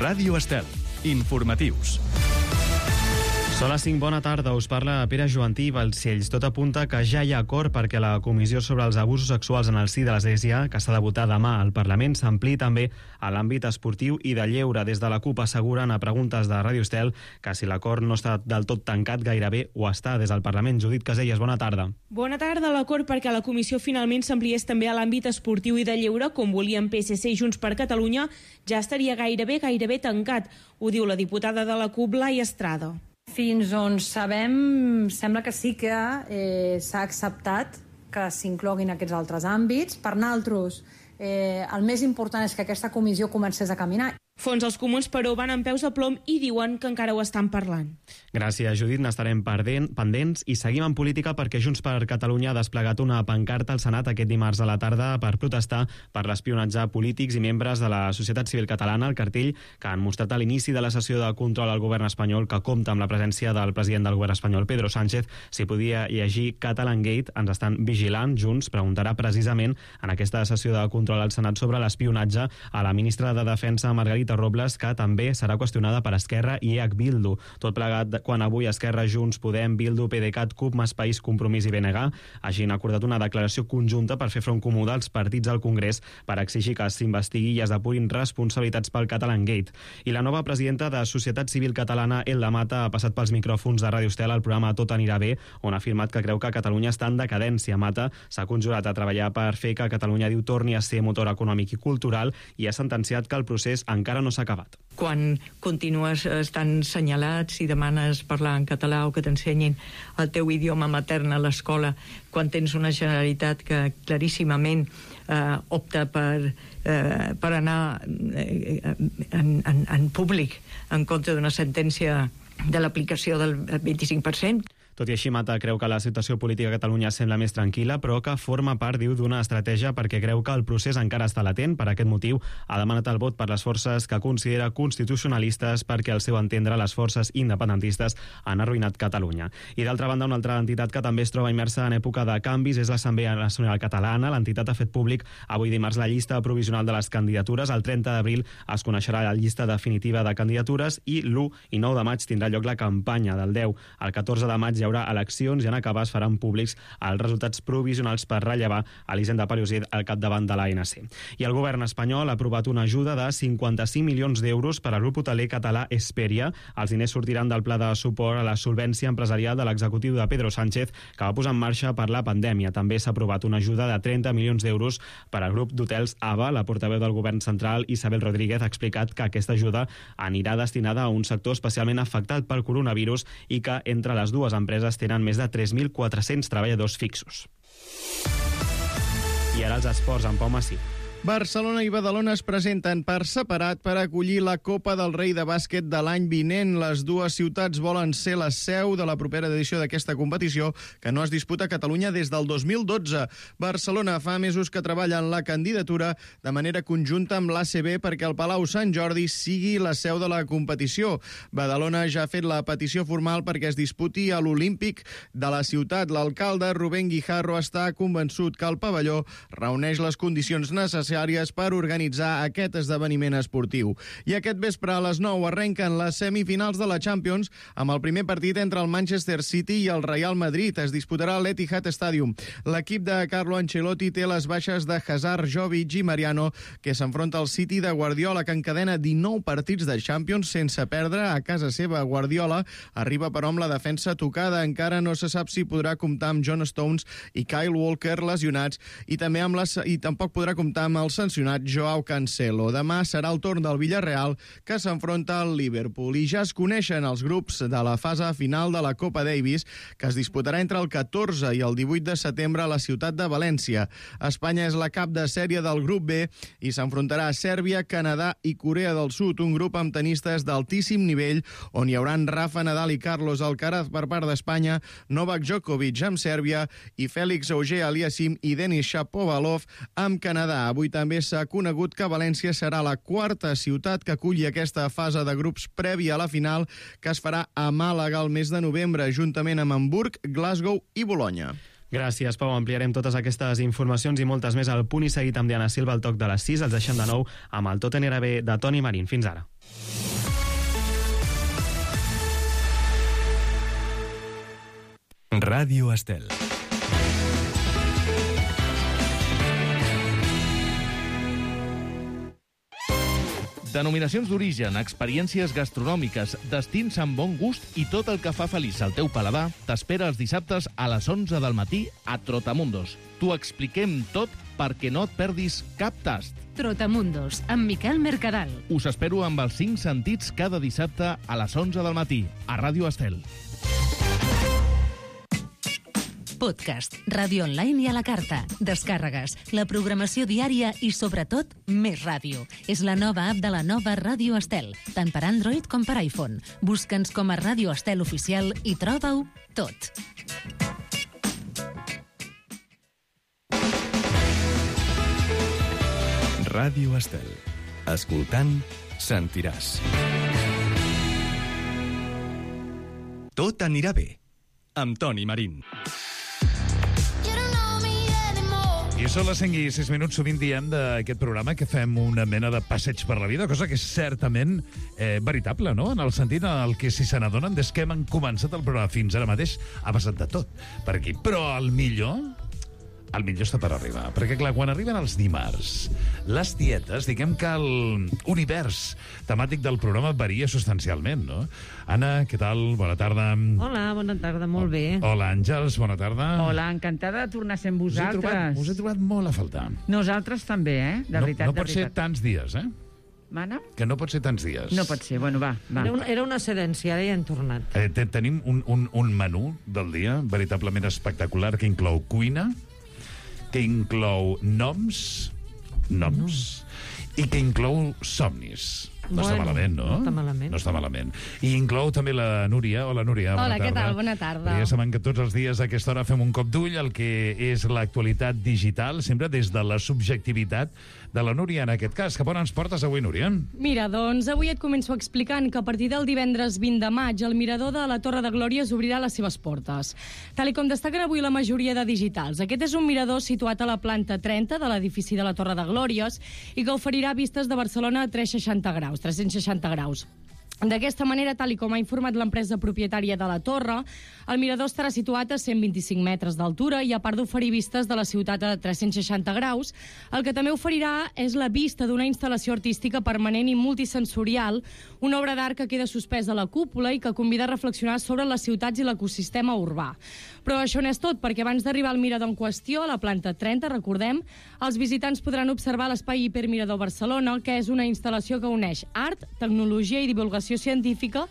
Ràdio Estel. Informatius. Són les 5, bona tarda, us parla Pere Joantí i Balcells. Tot apunta que ja hi ha acord perquè la Comissió sobre els abusos sexuals en el si de l'Església, que s'ha de votar demà al Parlament, s'ampliï també a l'àmbit esportiu i de lleure. Des de la CUP asseguren a preguntes de Ràdio Estel que si l'acord no està del tot tancat, gairebé ho està. Des del Parlament, Judit Caselles, bona tarda. Bona tarda. L'acord perquè la comissió finalment s'ampliés també a l'àmbit esportiu i de lleure, com volien PSC i Junts per Catalunya, ja estaria gairebé tancat. Ho diu la diputada de la CUP, Laia Estrada. Fins on sabem, sembla que sí que s'ha acceptat que s'incloguin aquests altres àmbits. Per nosaltres, el més important és que aquesta comissió comencés a caminar. Fons els comuns, però, van amb peus de plom i diuen que encara ho estan parlant. Gràcies, Judit. N'estarem pendents i seguim en política perquè Junts per Catalunya ha desplegat una pancarta al Senat aquest dimarts a la tarda per protestar per l'espionatge a polítics i membres de la societat civil catalana. El cartell que han mostrat a l'inici de la sessió de control al govern espanyol, que compta amb la presència del president del govern espanyol, Pedro Sánchez, s'hi podia llegir Catalan Gate, ens estan vigilant. Junts preguntarà precisament en aquesta sessió de control al Senat sobre l'espionatge a la ministra de Defensa, Margarita Robles, que també serà qüestionada per Esquerra i EH Bildu. Tot plegat quan avui Esquerra, Junts, Podem, Bildu, PDeCAT, CUP, Més País, Compromís i BNG hagin acordat una declaració conjunta per fer front comú dels partits al Congrés per exigir que s'investigui i es depurin responsabilitats pel Catalan Gate. I la nova presidenta de Societat Civil Catalana, Elda Mata, ha passat pels micròfons de Ràdio Estel al programa Tot anirà bé, on ha afirmat que creu que Catalunya està en decadència. Mata s'ha conjurat a treballar per fer que Catalunya, diu, torni a ser motor econòmic i cultural i ha sentenciat que el procés encara no s'ha acabat. Quan continues estant senyalat, si demanes parlar en català o que t'ensenyin el teu idioma matern a l'escola, quan tens una Generalitat que claríssimament opta per anar en públic en contra d'una sentència de l'aplicació del 25%. Tot i així, Mata creu que la situació política a Catalunya sembla més tranquil·la, però que forma part, diu, d'una estratègia perquè creu que el procés encara està latent. Per aquest motiu, ha demanat el vot per les forces que considera constitucionalistes perquè, al seu entendre, les forces independentistes han arruïnat Catalunya. I d'altra banda, una altra entitat que també es troba immersa en època de canvis és l'Assemblea Nacional Catalana. L'entitat ha fet públic avui dimarts la llista provisional de les candidatures. El 30 d'abril es coneixerà la llista definitiva de candidatures i l'1 i 9 de maig tindrà lloc la campanya. Del 10 al 14 de maig hi haurà eleccions i en acabar es faran públics els resultats provisionals per rellevar Elisenda Palloset al capdavant de l'ANC. I el govern espanyol ha aprovat una ajuda de 55 milions d'euros per al grup hoteler català Hesperia. Els diners sortiran del pla de suport a la solvència empresarial de l'executiu de Pedro Sánchez, que va posar en marxa per la pandèmia. També s'ha aprovat una ajuda de 30 milions d'euros per al grup d'hotels AVA. La portaveu del govern central, Isabel Rodríguez, ha explicat que aquesta ajuda anirà destinada a un sector especialment afectat pel coronavirus i que entre les dues empreses tenen més de 3.400 treballadors fixos. I ara els esports amb Pau Massí. Barcelona i Badalona es presenten per separat per acollir la Copa del Rei de bàsquet de l'any vinent. Les dues ciutats volen ser la seu de la propera edició d'aquesta competició, que no es disputa a Catalunya des del 2012. Barcelona fa mesos que treballa en la candidatura de manera conjunta amb l'ACB perquè el Palau Sant Jordi sigui la seu de la competició. Badalona ja ha fet la petició formal perquè es disputi a l'Olímpic de la ciutat. L'alcalde, Rubén Guijarro, està convençut que el pavelló reuneix les condicions necessàries per organitzar aquest esdeveniment esportiu. I aquest vespre a les 9 arrenquen les semifinals de la Champions amb el primer partit entre el Manchester City i el Real Madrid. Es disputarà a l'Etihad Stadium. L'equip de Carlo Ancelotti té les baixes de Hazard, Jovic i Mariano, que s'enfronta al City de Guardiola, que encadena 19 partits de Champions sense perdre a casa seva. Guardiola arriba però amb la defensa tocada. Encara no se sap si podrà comptar amb John Stones i Kyle Walker lesionats i tampoc podrà comptar amb el sancionat Joao Cancelo. Demà serà el torn del Villarreal, que s'enfronta al Liverpool. I ja es coneixen els grups de la fase final de la Copa Davis, que es disputarà entre el 14 i el 18 de setembre a la ciutat de València. Espanya és la cap de sèrie del grup B i s'enfrontarà a Sèrbia, Canadà i Corea del Sud, un grup amb tenistes d'altíssim nivell, on hi hauran Rafa Nadal i Carlos Alcaraz per part d'Espanya, Novak Djokovic amb Sèrbia i Félix Auger-Aliassime i Denis Shapovalov amb Canadà. Avui també s'ha conegut que València serà la quarta ciutat que aculli aquesta fase de grups prèvia a la final, que es farà a Màlaga el mes de novembre, juntament amb Hamburg, Glasgow i Bologna. Gràcies, Pau. Ampliarem totes aquestes informacions i moltes més al Punt i Seguit amb Diana Silva al toc de les 6. Els deixem de nou amb el Tot anirà bé de Toni Marín. Fins ara. Ràdio Estel. Denominacions d'origen, experiències gastronòmiques, destins amb bon gust i tot el que fa feliç el teu paladar t'espera els dissabtes a les 11 del matí a Trotamundos. T'ho expliquem tot perquè no et perdis cap tast. Trotamundos, amb Miquel Mercadal. Us espero amb els 5 sentits cada dissabte a les 11 del matí a Ràdio Estel. Podcast, ràdio online i a la carta, descàrregues, la programació diària i, sobretot, més ràdio. És la nova app de la nova Ràdio Estel, tant per Android com per iPhone. Busca'ns com a Ràdio Estel Oficial i troba-ho tot. Ràdio Estel. Escoltant, sentiràs. Tot anirà bé. Amb Toni Marín. I són les 5 i 6 minuts, sovint diem d'aquest programa que fem una mena de passeig per la vida, cosa que és certament veritable, no? En el sentit en el que, si se n'adonen, des que hem començat el programa fins ara mateix, ha passat de tot per aquí. Però el millor està per arribar. Perquè, clar, quan arriben els dimarts, les dietes, diguem que l'univers temàtic del programa varia substancialment, no? Anna, què tal? Bona tarda. Hola, bona tarda, molt bé. Hola, Àngels, bona tarda. Hola, encantada de tornar a ser amb vosaltres. Us he trobat molt a faltar. Nosaltres també, de veritat. No pot ser tants dies, Mana? Que no pot ser tants dies. No pot ser, bueno, va. Era una cedència, ara ja hem tornat. Tenim un menú del dia veritablement espectacular que inclou cuina, que inclou noms, i que inclou somnis. No està malament, no? No està malament. No està malament. I inclou també la Núria. Hola, Núria. Hola, què tal? Bona tarda. Ja sabem que tots els dies a aquesta hora fem un cop d'ull al que és l'actualitat digital, sempre des de la subjectivitat de la Núria, en aquest cas. Cap on ens portes avui, Núria? Mira, doncs avui et començo explicant que a partir del divendres 20 de maig el mirador de la Torre de Glòries obrirà les seves portes. Tal com destaquen avui la majoria de digitals, aquest és un mirador situat a la planta 30 de l'edifici de la Torre de Glòries i que oferirà vistes de Barcelona a 360 graus. D'aquesta manera, tal com ha informat l'empresa propietària de la torre, el mirador estarà situat a 125 metres d'altura i, a part d'oferir vistes de la ciutat a 360 graus, el que també oferirà és la vista d'una instal·lació artística permanent i multisensorial, una obra d'art que queda suspesa a la cúpula i que convida a reflexionar sobre les ciutats i l'ecosistema urbà. Però això no és tot, perquè abans d'arribar al mirador en qüestió, a la planta 30, recordem, els visitants podran observar l'espai Hipermirador Barcelona, que és una instal·lació que uneix art, tecnologia i divulgació científica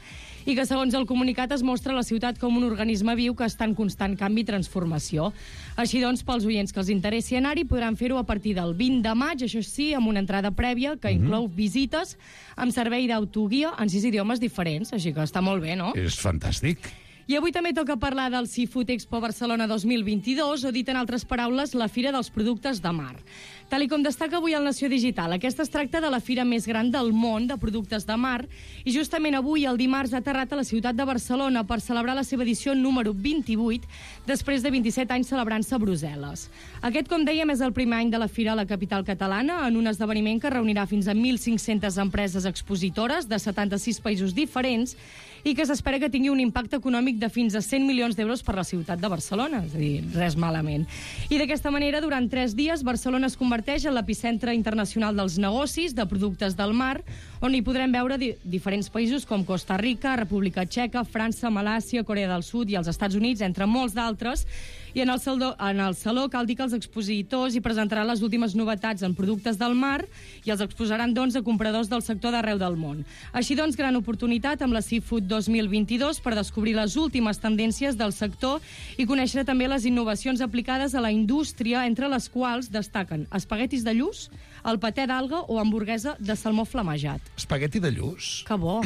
i que, segons el comunicat, es mostra la ciutat com un organisme viu que està en constant canvi i transformació. Així doncs, pels oients que els interessi anar-hi, podran fer-ho a partir del 20 de maig, això sí, amb una entrada prèvia que inclou visites amb servei d'autoguia en 6 idiomes diferents, així que està molt bé, no? És fantàstic. I avui també toca parlar del Seafood Expo Barcelona 2022, o dit en altres paraules, la Fira dels Productes de Mar. Tal com destaca avui el Nació Digital, aquesta es tracta de la fira més gran del món de productes de mar i justament avui, el dimarts, ha aterrat a la ciutat de Barcelona per celebrar la seva edició número 28, després de 27 anys celebrant-se a Brussel·les. Aquest, com dèiem, és el primer any de la fira a la capital catalana, en un esdeveniment que reunirà fins a 1.500 empreses expositores de 76 països diferents i que s'espera que tingui un impacte econòmic de fins a 100 milions d'euros per la ciutat de Barcelona, és a dir, res malament. I d'aquesta manera, durant 3 dies, Barcelona es converteix en l'epicentre internacional dels negocis de productes del mar, on hi podrem veure diferents països com Costa Rica, República Txeca, França, Malàisia, Corea del Sud i els Estats Units, entre molts d'altres. I en el saló cal dir que els expositors hi presentaran les últimes novetats en productes del mar i els exposaran, doncs, a compradors del sector d'arreu del món. Així doncs, gran oportunitat amb la Seafood 2022 per descobrir les últimes tendències del sector i conèixer també les innovacions aplicades a la indústria, entre les quals destaquen espaguetis de lluç, el patè d'alga o hamburguesa de salmó flamejat. Espagueti de lluç. Que bo.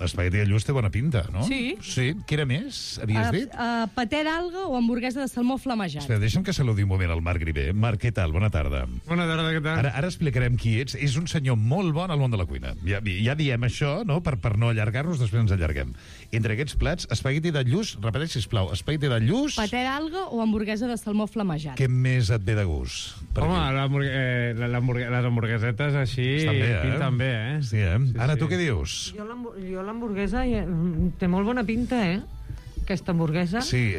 Espagueti de lluç té bona pinta, no? Sí. Sí. Què era més, havies dit? Patè d'alga o hamburguesa de salmó flamejat. Espera, deixa'm que saludi un moment al Marc Grivé. Marc, què tal? Bona tarda. Bona tarda, què tal? Ara explicarem qui ets. És un senyor molt bon al món de la cuina. Ja diem això, no?, per no allargar-nos, després ens allarguem. Entre aquests plats, espagueti de lluç, repeteix, sisplau, espagueti de lluç... Patè d'alga o hamburguesa de salmó flamejat. Què més et ve de gust? Home, les hamburguesetes així pinten bé, eh? Sí, eh? Anna, tu què dius? Jo l'hamburguesa té molt bona pinta, aquesta hamburguesa. Sí,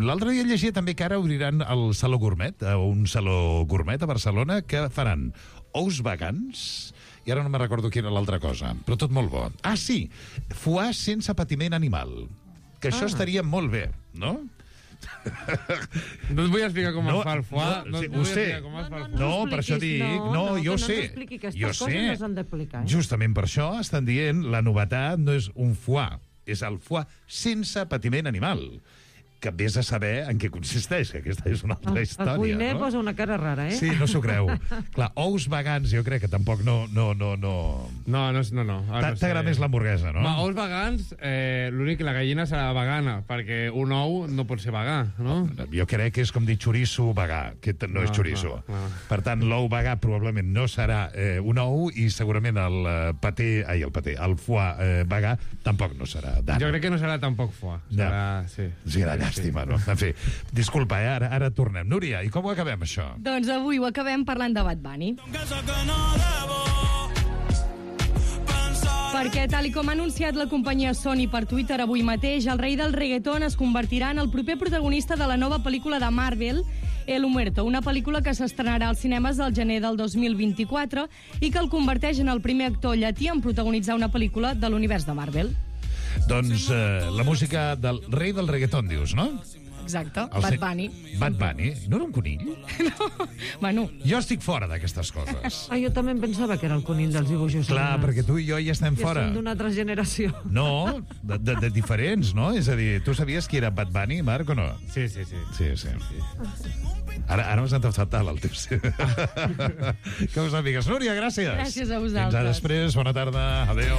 l'altre dia llegia també que ara obriran el Saló Gourmet, un saló gourmet a Barcelona, que faran ous vegans, i ara no me recordo quina era l'altra cosa, però tot molt bo. Ah, sí, foie sense patiment animal, que això estaria molt bé, no? No et vull explicar com es fa el foie. Ho sé. No, per això dic... No, jo sé. Jo sé. Justament per això estan dient la novetat no és un foie, és el foie sense patiment animal. Que vés a saber en què consisteix, que aquesta és una altra història. El cuiner posa una cara rara, Sí, no s'ho creu. Clar, ous vegans jo crec que tampoc no. T'agrada més l'hamburguesa, no? Ous vegans, l'únic que la gallina serà vegana, perquè un ou no pot ser vegà, no? Jo crec que és com dir xoriço vegà, que no és xoriço. Per tant, l'ou vegà probablement no serà un ou i segurament el foie vegà tampoc no serà. Jo crec que no serà tampoc foie. Serà... Llàstima, no? En fi, disculpa, ara tornem. Núria, i com ho acabem, això? Doncs avui ho acabem parlant de Bad Bunny. Perquè, tal com ha anunciat la companyia Sony per Twitter avui mateix, el rei del reggaeton es convertirà en el proper protagonista de la nova pel·lícula de Marvel, El Muerto, una pel·lícula que s'estrenarà als cinemes el gener del 2024 i que el converteix en el primer actor llatí en protagonitzar una pel·lícula de l'univers de Marvel. Doncs la música del rei del reggaeton, dius, no? Exacte, Bad Bunny. Bad Bunny? No era un conill? No, bueno... Jo estic fora d'aquestes coses. Jo també em pensava que era el conill dels dibuixos. Clar, perquè tu i jo ja estem fora. Ja som d'una altra generació. No, de diferents, no? És a dir, tu sabies qui era Bad Bunny, Marc, o no? Sí. Ara m'has sentat fatal, el teu... Que us amigues. Núria, gràcies. Gràcies a vosaltres. Fins a després, bona tarda, adéu.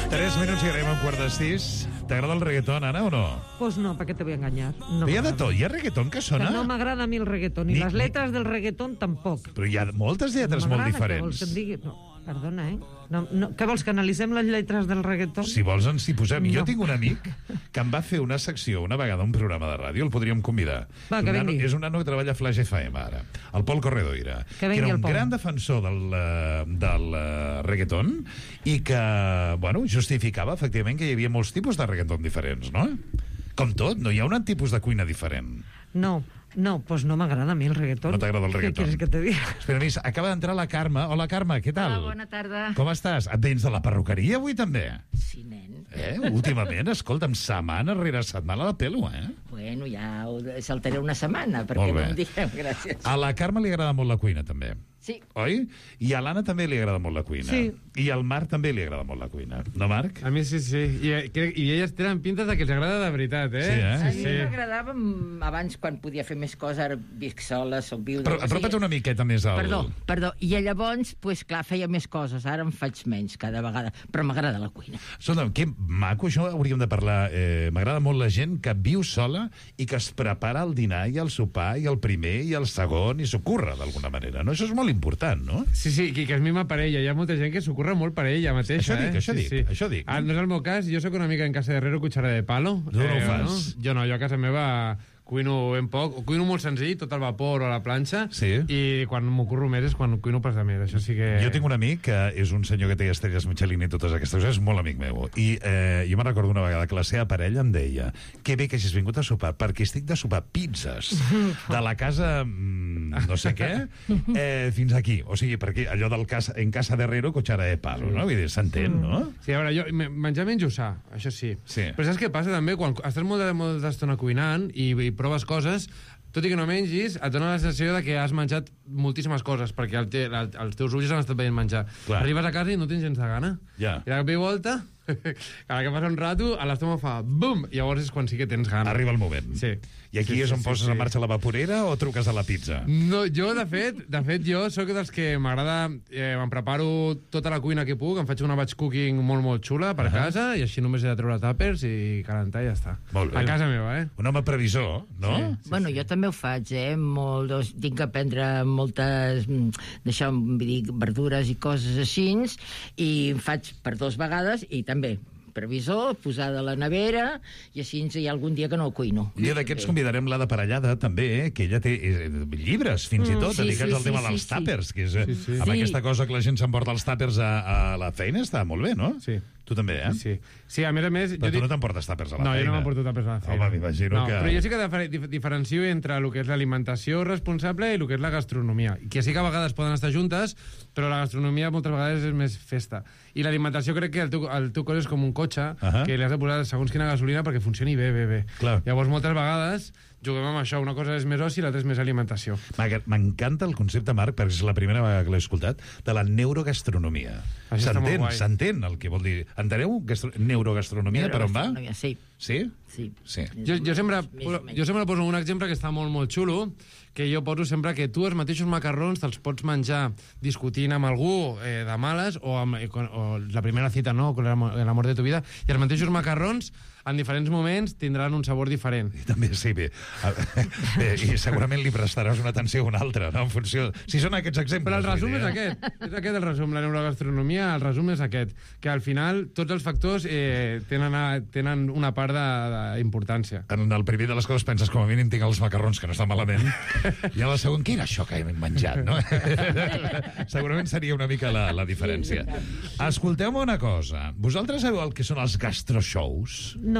3 minuts i arribem a 5:15. T'agrada el reggaeton, Anna, o no? Pues no, ¿para qué te voy a engañar? No, hi ha de tot, hi ha reggaeton que sona... Que no m'agrada a mi el reggaeton, i les lletres del reggaeton tampoc. Però hi ha moltes lletres molt diferents. Què vols que et digui? No, perdona, què vols, que analitzem les lletres del reggaeton? Si vols ens hi posem. Jo tinc un amic que em va fer una secció una vegada a un programa de ràdio, el podríem convidar. Va, que vingui. És un nano que treballa a Flash FM ara, el Pol Corredoira, que era un gran defensor del reggaeton i que, bueno, justificava efectivament que hi havia molts tipus de reggaeton diferents, no? Com tot, no hi ha un tipus de cuina diferent. No, pues no m'agrada a mi el reggaeton. No t'agrada el reggaeton? Què quieres que te diga? Espera, acaba d'entrar la Carme. Hola, Carme, què tal? Hola, bona tarda. Com estàs? Et vens de la perruqueria avui, també? Sí, nen. Últimament, escolta'm, setmana rere setmana la pelo, Bueno, ja ho saltaré una setmana, perquè no em digueu, gràcies. A la Carme li agrada molt la cuina, també. Sí. Oi? I a l'Anna també li agrada molt la cuina. Sí. I al Marc també li agrada molt la cuina. No, Marc? A mi sí. I elles tenen pintes de que els agrada de veritat, Sí, A mi m'agradava abans, quan podia fer més coses, ara visc sola, soc viuda... Però apropa't una miqueta més al... Perdó. I llavors, clar, feia més coses. Ara en faig menys cada vegada, però m'agrada la cuina. Escolta'm, que maco, això hauríem de parlar. M'agrada molt la gent que viu sola i que es prepara el dinar i el sopar i el primer i el segon i s'ho curra d'alguna manera, no? Això és molt important, no? Sí, que es mima per ella. Hi ha molta gent que s'ho curra molt per ella mateixa. Això dic. No és el meu cas. Jo sóc una mica en casa de Herrero cuchara de palo. Tu no ho fas? Jo no, jo a casa meva cuino ben poc. Cuino molt senzill, tot al vapor o a la planxa. Sí. I quan m'ho curro més és quan cuino pas de més. Això sí que... Jo tinc un amic que és un senyor que té estrelles Michelin i totes aquestes coses, és molt amic meu. I jo me'n recordo una vegada que la seva parella em deia que bé que hagis vingut a sopar, perquè estic de sopar pizzas de la casa no sé què fins aquí. O sigui, perquè allò del en casa de Herrero, cuchara de palo, no? Vull dir, s'entén, no? Sí, a veure, jo menjar menjo sa, això sí. Però saps què passa també? Quan estàs molta estona cuinant i proves coses, tot i que no mengis, et dona la sensació de que has menjat moltíssimes coses, perquè els teus ulls han estat veient menjar. Clar. Arribes a casa i no tens gens de gana. Ja. I de cop i volta Cada que passa un rato, a l'estómac fa bum, i llavors és quan sí que tens gana. Arriba el moment. Sí. I aquí és on poses en marxa la vaporera o truques a la pizza? No, jo, de fet, jo sóc dels que m'agrada... Em preparo tota la cuina que puc, em faig una batch cooking molt, molt xula per casa, i així només he de treure tàpers i calentar i ja està. Molt bé. A casa meva, Un home previsor, no? Sí. Bueno, jo també ho faig, tinc que prendre moltes... vull dir, verdures i coses així, i em faig per 2 vegades, i també previsor, posada a la nevera, i així hi ha algun dia que no ho cuino. Un dia d'aquests convidarem la de Parellada, també, que ella té llibres, fins i tot, dedicats al tema dels tàpers, que és amb aquesta cosa que la gent s'emporta els tàpers a la feina, està molt bé, no? Sí. Tu també, Sí, a més... Però tu no t'emportes tàpers a la feina. No, jo no m'emporto tàpers a la feina. Home, m'imagino que... Però jo sí que diferencio entre el que és l'alimentació responsable i el que és la gastronomia. Que sí que a vegades poden estar juntes, però la gastronomia moltes vegades és més festa. I l'alimentació crec que el teu cos és com un cotxe, que li has de posar segons quina gasolina perquè funcioni bé. Clar. Llavors, moltes vegades juguem amb això. Una cosa és més oci i l'altra és més alimentació. M'encanta el concepte, Marc, perquè és la primera vegada que l'he escoltat, de la neurogastronomia. S'entén el que vol dir. Enteneu? Neurogastronomia, per on va? Sí. Sí? Sí. Jo sempre poso un exemple que està molt, molt xulo, que jo poso sempre que tu els mateixos macarrons te'ls pots menjar discutint amb algú de males o la primera cita, no?, con el amor de tu vida, i els mateixos macarrons en diferents moments tindran un sabor diferent. I també, sí, bé, i segurament li prestaràs una atenció a una altra, no?, en funció... Si són aquests exemples... Però el resum és aquest. És aquest el resum. La neurogastronomia, el resum és aquest. Que al final tots els factors tenen una part d'importància. En el primer de les coses penses, com a mínim tinc els macarrons, que no estan malament, i a la segona, què era això que hem menjat, no? Segurament seria una mica la diferència. Escolteu-me una cosa. Vosaltres sabeu el que són els gastroshows? No.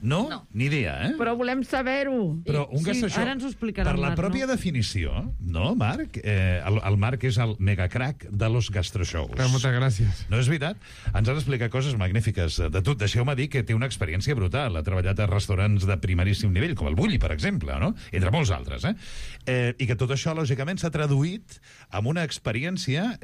No? Ni idea, Però volem saber-ho. Però un gastroshow... Ara ens ho explicarà per la pròpia definició, no, Marc? El Marc és el megacrac de los gastroshows. Moltes gràcies. No és veritat? Ens han explicat coses magnífiques de tot. Deixeu-me dir que té una experiència brutal. Ha treballat a restaurants de primeríssim nivell, com el Bulli, per exemple, no? Entre molts altres, i que tot això, lògicament, s'ha traduït en una experiència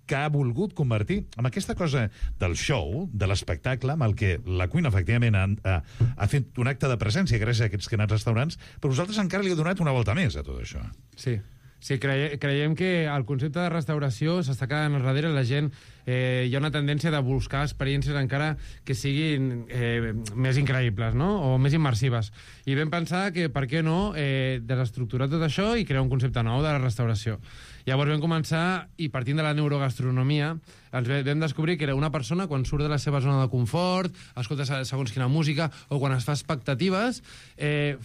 que ha volgut convertir en aquesta cosa del show, de l'espectacle, amb el que la cuina, efectivament, ha fet un acte de presència gràcies a aquests que han anat restaurants, però vosaltres encara li heu donat una volta més a tot això. Sí, creiem que el concepte de restauració s'està quedant darrere. La gent, hi ha una tendència de buscar experiències encara que siguin més increïbles, no?, o més immersives. I vam pensar que, per què no, desestructurar tot això i crear un concepte nou de la restauració. Llavors vam començar, i partint de la neurogastronomia, ens vam descobrir que era una persona, quan surt de la seva zona de confort, escolta segons quina música, o quan es fa expectatives,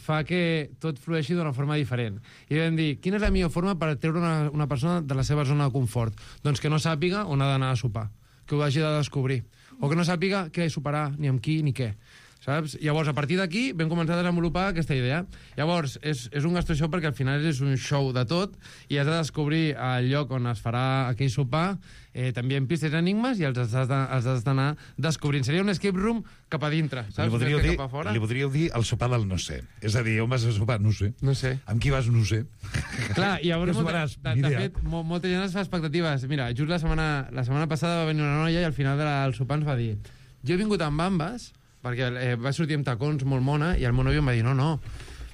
fa que tot flueixi d'una forma diferent. I vam dir, quina és la millor forma per treure una persona de la seva zona de confort? Doncs que no sàpiga on ha d'anar a sopar, que ho hagi de descobrir, o que no sàpiga què soparà, ni amb qui, ni què. Saps? Llavors, a partir d'aquí, vam començar a desenvolupar aquesta idea. Llavors, és un gastroshow perquè al final és un show de tot i has de descobrir el lloc on es farà aquell sopar, també en pistes enigmes, i els has d'anar descobrint. Seria un escape room cap a dintre, saps? Li podríeu dir el sopar del no sé. És a dir, on vas a sopar? No sé. No sé. Amb qui vas? No sé. Clar, i llavors, de fet, molta gent es fa expectatives. Mira, just la setmana passada va venir una noia i al final del sopar ens va dir, jo he vingut amb bambes, perquè va sortir amb tacons molt mona, i el meu nòvio em va dir, no,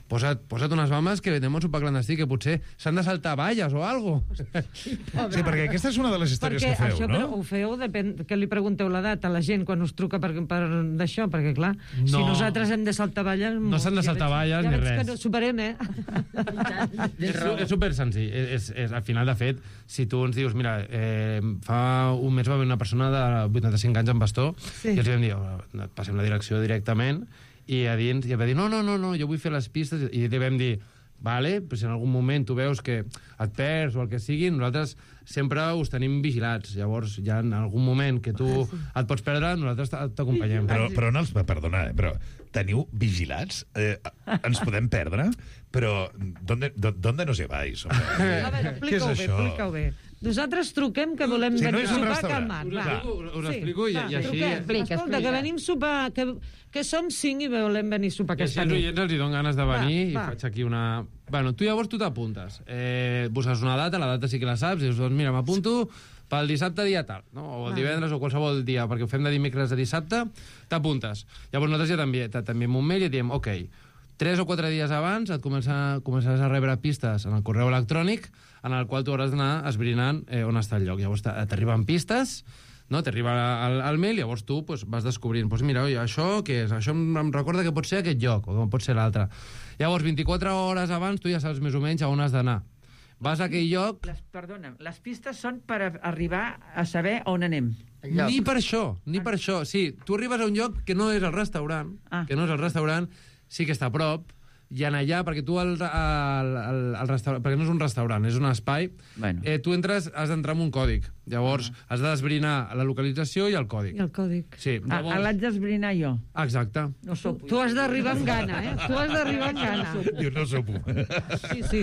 posa't unes bambes que vendem un sopar clandestí, que potser s'han de saltar valles o alguna cosa. Sí, perquè aquesta és una de les històries que feu, això, no? Però ho feu, depèn que li pregunteu l'edat a la gent quan us truca per d'això, perquè clar, si nosaltres hem de saltar valles... No s'han de saltar valles ni res. Ja veig que no superem, És super senzill. Al final, de fet, si tu ens dius, mira, fa un mes va venir una persona de 85 anys amb bastó, i els vam dir, passem la direcció directament, i a dins, i va dir, no, jo vull fer les pistes, i li vam dir, vale, però si en algun moment tu veus que et perds o el que sigui, nosaltres sempre us tenim vigilats. Llavors, ja en algun moment que tu et pots perdre, nosaltres t'acompanyem. Però no els... Perdona, però teniu vigilats? Ens podem perdre? Però ¿dónde nos lleváis? A veure, explica-ho bé. Nosaltres truquem que volem venir a sopar calmat. Us explico i així... Escolta, que venim a sopar, que som 5 i volem venir a sopar aquesta nit. I els hi dono ganes de venir i faig aquí una... Bueno, tu llavors t'apuntes. Busques una data, la data sí que la saps, i dius, doncs mira, m'apunto pel dissabte dia tal, no? O el divendres o qualsevol dia, perquè ho fem de dimecres a dissabte, t'apuntes. Llavors nosaltres ja t'enviem un mail i et diem, ok, 3 o 4 dies abans et començaràs a rebre pistes en el correu electrònic en el qual tu hauràs d'anar esbrinant on està el lloc. Llavors t'arriben pistes, no? T'arriba el mail, llavors tu vas descobrint, mira, oi, això què és? Això em recorda que pot ser aquest lloc, o pot ser l'altre. Llavors, 24 hores abans, tu ja saps més o menys a on has d'anar. Vas a aquell lloc... Perdona, les pistes són per arribar a saber on anem. Ni per això. Sí, tu arribes a un lloc que no és el restaurant, sí que està a prop, i en allà, perquè tu al restaurant, perquè no és un restaurant, és un espai, tu entres, has d'entrar amb un còdig. Llavors, has d'esbrinar la localització i el còdig. I el còdig. Sí. L'haig d'esbrinar jo. Exacte. No sopo. Tu has d'arribar amb gana, eh? Tu has d'arribar amb gana. Diu, no sopo. Sí.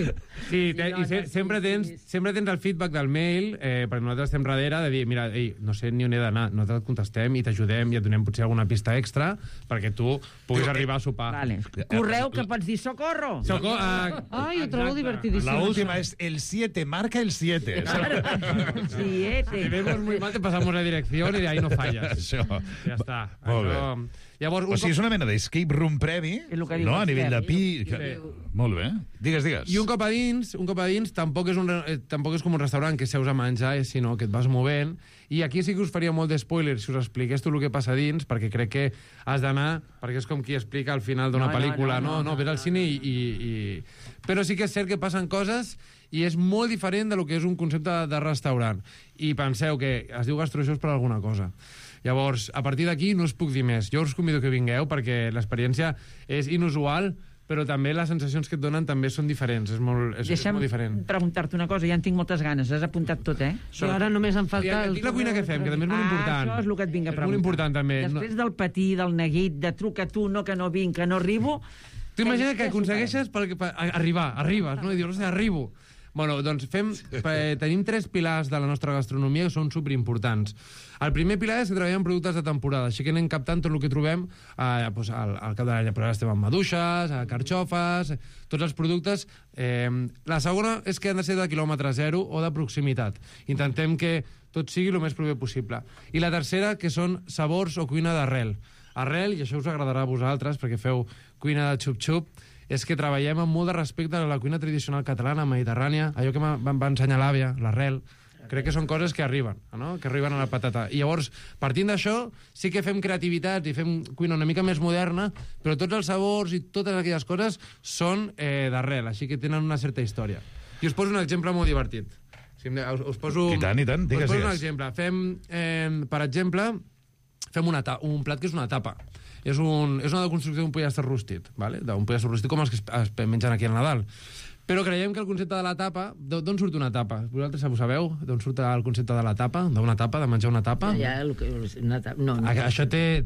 I sempre tens el feedback del mail, perquè nosaltres estem darrere de dir, mira, no sé ni on he d'anar, nosaltres et contestem i t'ajudem i et donem potser alguna pista extra perquè tu puguis arribar a sopar. Vale. Correu que pots dir socorro. Ai, ho trobo divertidíssim. La última es el 7, marca el 7. Sí, Si vemos muy mal, te pasamos la dirección y de ahí no fallas. Això. Ja està. Molt bé. Llavors, o sigui, és una mena d'escape room previ, no? A nivell de pi... Molt bé. Digues. I un cop a dins tampoc és com un restaurant que seus a menjar, sinó que et vas movent. I aquí sí que us faria molt de spoiler si us expliqués tu el que passa dins, perquè crec que has d'anar, perquè és com qui explica al final d'una pel·lícula, no, ves al cine i... Però sí que és cert que passen coses i és molt diferent de lo que és un concepte de restaurant. I penseu que es diu gastroixós per alguna cosa. Llavors, a partir d'aquí no us puc dir més. Jo us convido que vingueu perquè l'experiència és inusual, però també les sensacions que et donen també són diferents. És molt diferent. Deixa'm preguntar-te una cosa, ja en tinc moltes ganes. Has apuntat tot, eh? Sí, ara només em falta... I la cuina que fem, que també és molt important. Això és el que et vinc a preguntar. És molt important, també. Després del patí, del neguit, de truca tu, no que no vinc, que no arribo... Tu imagina que aconsegueixes arribes, no? I dius, arribo. Bueno, doncs tenim 3 pilars de la nostra gastronomia que són superimportants. El primer pilar és que treballem productes de temporada, així que anem captant tot el que trobem al cap de l'any. Però ara estem amb maduixes, carxofes, tots els productes. La segona és que han de ser de quilòmetre zero o de proximitat. Intentem que tot sigui el més proper possible. I la tercera, que són sabors o cuina d'arrel. Arrel, i això us agradarà a vosaltres, perquè feu cuina de xup-xup, és que treballem amb molt de respecte a la cuina tradicional catalana, mediterrània, allò que va ensenyar l'àvia, l'arrel. Crec que són coses que arriben, no? Que arriben a la patata. I llavors, partint d'això, sí que fem creativitats i fem cuina una mica més moderna, però tots els sabors i totes aquelles coses són d'arrel, així que tenen una certa història. I us poso un exemple molt divertit. Us poso... I tant, digues. Us poso un exemple. Per exemple, fem un plat que és una tapa. És una deconstrucció d'un pollastre rostit, ¿vale? D'un pollastre rostit com els que es mengen aquí al Nadal. Però creiem que el concepte de la tapa... D'on surt una tapa? Vosaltres ho sabeu? D'on surt el concepte de la tapa? D'una tapa? De menjar una tapa? No. Això té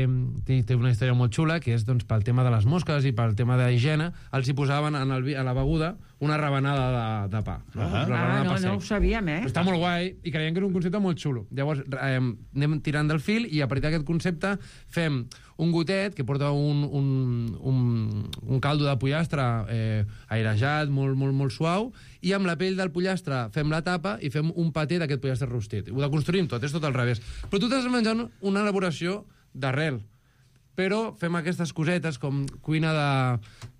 una història molt xula, que és pel tema de les mosques i pel tema d'higiene. Els hi posaven a la beguda una rebanada de pa. No ho sabíem, eh? Està molt guai i creiem que és un concepte molt xulo. Llavors anem tirant del fil i a partir d'aquest concepte fem un gotet que porta un caldo de pollastre airejat, molt suau, i amb la pell del pollastre fem la tapa i fem un paté d'aquest pollastre rostit. Ho deconstruïm tot, és tot al revés. Però tu t'estàs menjant una elaboració d'arrel, però fem aquestes cosetes com cuina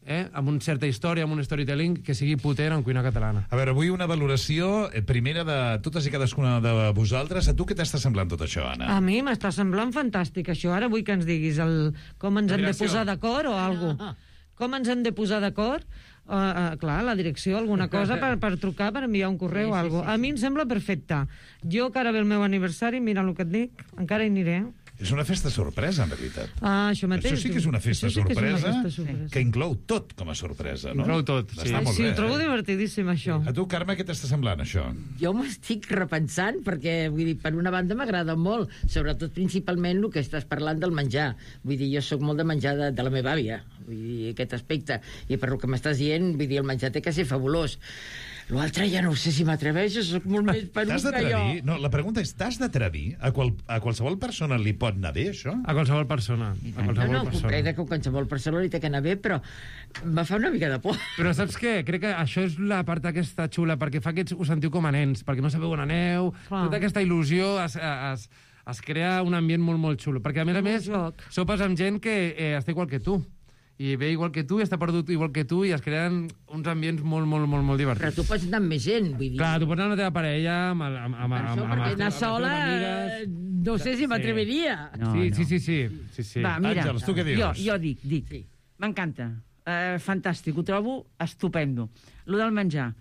amb una certa història, amb un storytelling que sigui potent en cuina catalana. A veure, avui una valoració primera de totes i cadascuna de vosaltres. A tu què t'està semblant tot això, Anna? A mi m'està semblant fantàstic, això. Ara vull que ens diguis com ens hem de posar d'acord o alguna cosa. Com ens hem de posar d'acord? Clar, la direcció, alguna cosa per trucar, per enviar un correu o alguna cosa. A mi em sembla perfecte. Jo, que ara ve el meu aniversari, mira el que et dic, encara hi aniré. És una festa sorpresa, en veritat. Això mateix. Això sí que és una festa sorpresa que inclou tot com a sorpresa, no? Inclou tot, sí. Sí, ho trobo divertidíssim, això. A tu, Carme, què t'està semblant, això? Jo m'estic repensant, perquè, vull dir, per una banda m'agrada molt, sobretot principalment el que estàs parlant del menjar. Vull dir, jo sóc molt de menjar de la meva àvia, vull dir, aquest aspecte. I per el que m'estàs dient, vull dir, el menjar té que ser fabulós. L'altre ja no sé si m'atreveixo, soc molt més perut T'has que jo. d'atrevir? No, la pregunta és, t'has d'atrevir? A qualsevol persona li pot anar bé, això? A qualsevol persona. Comprendre que qualsevol persona li té que anar bé, però em va fer una mica de por. Però saps què? Crec que això és la part aquesta xula, perquè fa que us sentiu com a nens, perquè no sabeu on aneu, tota aquesta il·lusió es crea un ambient molt, molt xulo. Perquè, a més, sopes amb gent que està igual que tu. I ve igual que tu, i està perdut igual que tu, i es creen uns ambients molt, molt, molt, molt divertits. Però tu pots anar amb més gent, vull dir. Clar, tu pots anar amb la teva parella, perquè anar sola, no sé si m'atreviria. Sí. Va, mira, Àngels, tu què dius? Jo dic. M'encanta. Fantàstic, ho trobo estupendo. Lo del menjar.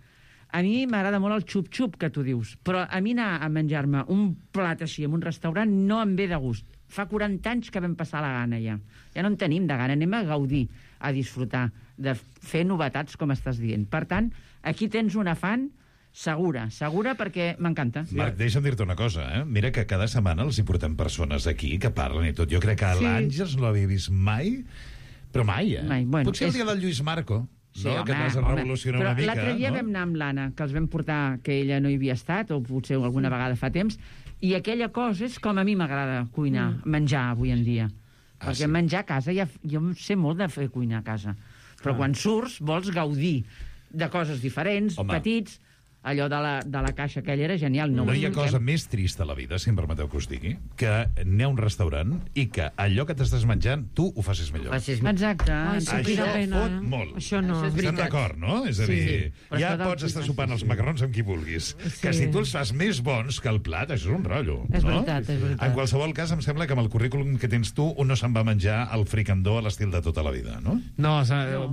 A mi m'agrada molt el xup-xup que tu dius, però a mi anar a menjar-me un plat així en un restaurant no em ve de gust. Fa 40 anys que vam passar la gana, ja. Ja no en tenim de gana, anem a gaudir, a disfrutar, de fer novetats, com estàs dient. Per tant, aquí tens un afany segura perquè m'encanta. Marc, deixa'm dir-te una cosa, Mira que cada setmana els hi portem persones aquí que parlen i tot. Jo crec que l'Àngels no l'havia vist mai, però mai, Mai. Bueno, potser el dia del Lluís Marco, sí, no? Que vas a revolucionar una mica. L'altre dia vam anar amb l'Anna, que els vam portar, que ella no hi havia estat, o potser alguna vegada fa temps, i aquella cosa és com a mi m'agrada cuinar, menjar avui en dia. Perquè menjar a casa, jo sé molt de fer cuinar a casa. Però quan surts vols gaudir de coses diferents, petits. Allò de la caixa aquella era genial. No hi ha cosa més trista a la vida, si em permeteu que us digui, que anar a un restaurant i que allò que t'estàs menjant tu ho facis millor. Exacte. Això fot molt. Això no. Estem d'acord, no? És a dir, ja pots estar sopant els macarrons amb qui vulguis. Que si tu els fas més bons que el plat, això és un rotllo. És veritat. En qualsevol cas, em sembla que amb el currículum que tens tu, un no se'n va menjar el fricandó a l'estil de tota la vida, no? No,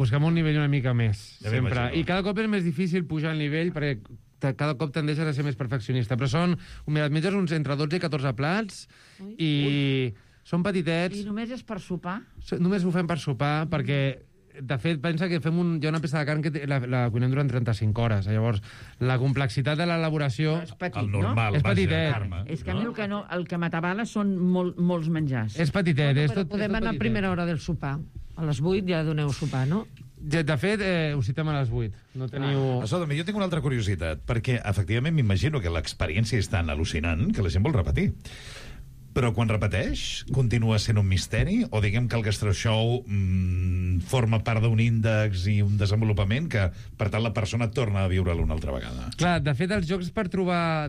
busquem un nivell una mica més, sempre. I cada cop és més difícil pujar el nivell, perquè cada cop tendeixes a ser més perfeccionista. Però són, mira, et menges uns entre 12 i 14 plats i són petitets. I només és per sopar? Només ho fem per sopar, perquè, de fet, pensa que hi ha una peça de carn que la cuinem durant 35 hores. Llavors, la complexitat de l'elaboració... És petit, el normal, és petitet. Carme, és que a mi el que m'atabala són molts menjars. És petitet. Però podem anar a primera hora del sopar. A les 8 ja doneu sopar, no? De fet, us citem a les 8. No teniu... Escolta'm, jo tinc una altra curiositat, perquè, efectivament, m'imagino que l'experiència és tan al·lucinant que la gent vol repetir. Però quan repeteix, continua sent un misteri? O diguem que el gastroshow forma part d'un índex i un desenvolupament que, per tant, la persona torna a viure-lo una altra vegada? Clar, de fet, els jocs per trobar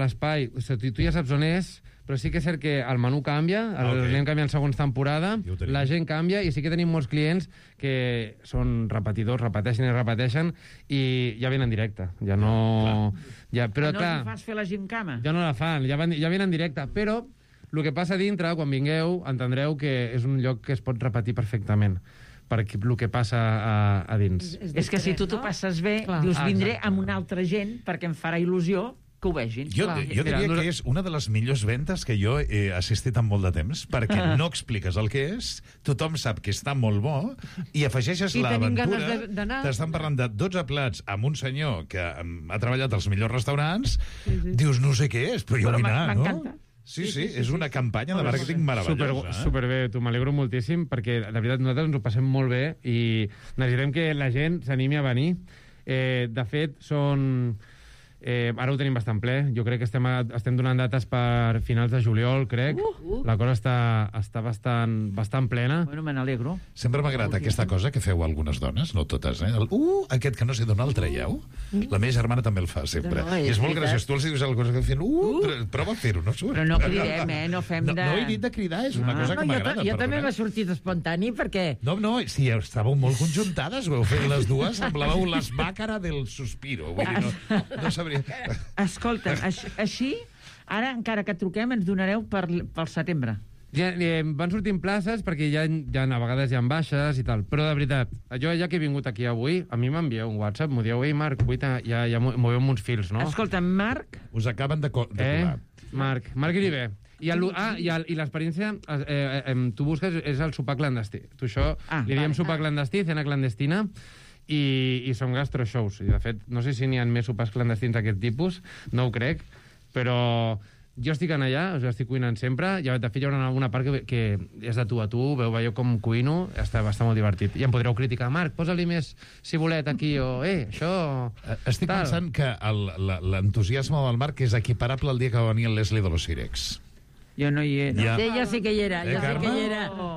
l'espai, tu ja saps on és, però sí que és cert que el menú canvia, anem canviant segons temporada, la gent canvia, i sí que tenim molts clients que són repetidors, repeteixen, i ja venen en directe. Ja no... Però, no els fas fer la gimcama? Ja no la fan, ja venen en directe, però el que passa dintre, quan vingueu, entendreu que és un lloc que es pot repetir perfectament per el que passa a dins. És que si tu t'ho passes bé, dius, vindré amb una altra gent perquè em farà il·lusió que ho vegin. Jo diria que és una de les millors ventes que jo he assistit en molt de temps, perquè no expliques el que és, tothom sap que està molt bo, i afegeixes l'aventura. T'estan parlant de 12 plats amb un senyor que ha treballat als millors restaurants, dius, no sé què és, però jo vull anar, no? M'encanta. Sí, és una campanya de màrqueting meravellosa. Superbé, tu m'alegro moltíssim, perquè, de veritat, nosaltres ens ho passem molt bé i necessitem que la gent s'animi a venir. De fet, són... ara ho tenim bastant ple. Jo crec que estem donant dates per finals de juliol, crec. La cosa està bastant plena. Bueno, me n'alegro. Sempre m'ha agradat aquesta cosa que feu algunes dones, no totes, aquest que no sé d'on el traieu. La meva germana també el fa, sempre. I és molt graciós. Tu els dius alguna cosa que fent, prova a fer-ho, no surt. Però no cridem, no fem de... No he dit de cridar, és una cosa que m'agrada. Jo també m'ha sortit espontani, perquè... No, si estàveu molt conjuntades, ho heu fet les dues, semblàveu les bàcara del suspiro. Vull dir, no sabria... Escolta, així, ara encara que truquem ens donareu pel setembre. Van sortint places perquè a vegades hi ha baixes i tal, però de veritat, jo ja que he vingut aquí avui, a mi m'envieu un WhatsApp, m'ho dieu, ei Marc, ja moveu uns fils, no? Escolta, Marc... Us acaben de colar. Marc Iribe. I l'experiència, tu busques, és el sopar clandestí. Tu això, li diem sopar clandestí, cena clandestina, i són gastroshows. I, de fet, no sé si n'hi ha més sopars clandestins d'aquest tipus, no ho crec, però jo estic en allà, estic cuinant sempre, de fet hi haurà alguna part que és de tu a tu, veieu com cuino, està molt divertit. I em podreu criticar, Marc, posa-li més cibulet aquí, o això... Estic pensant que l'entusiasme del Marc és equiparable al dia que va venir el Leslie de los Cirex. Jo no hi era. Ja. Sí, jo sí que hi era,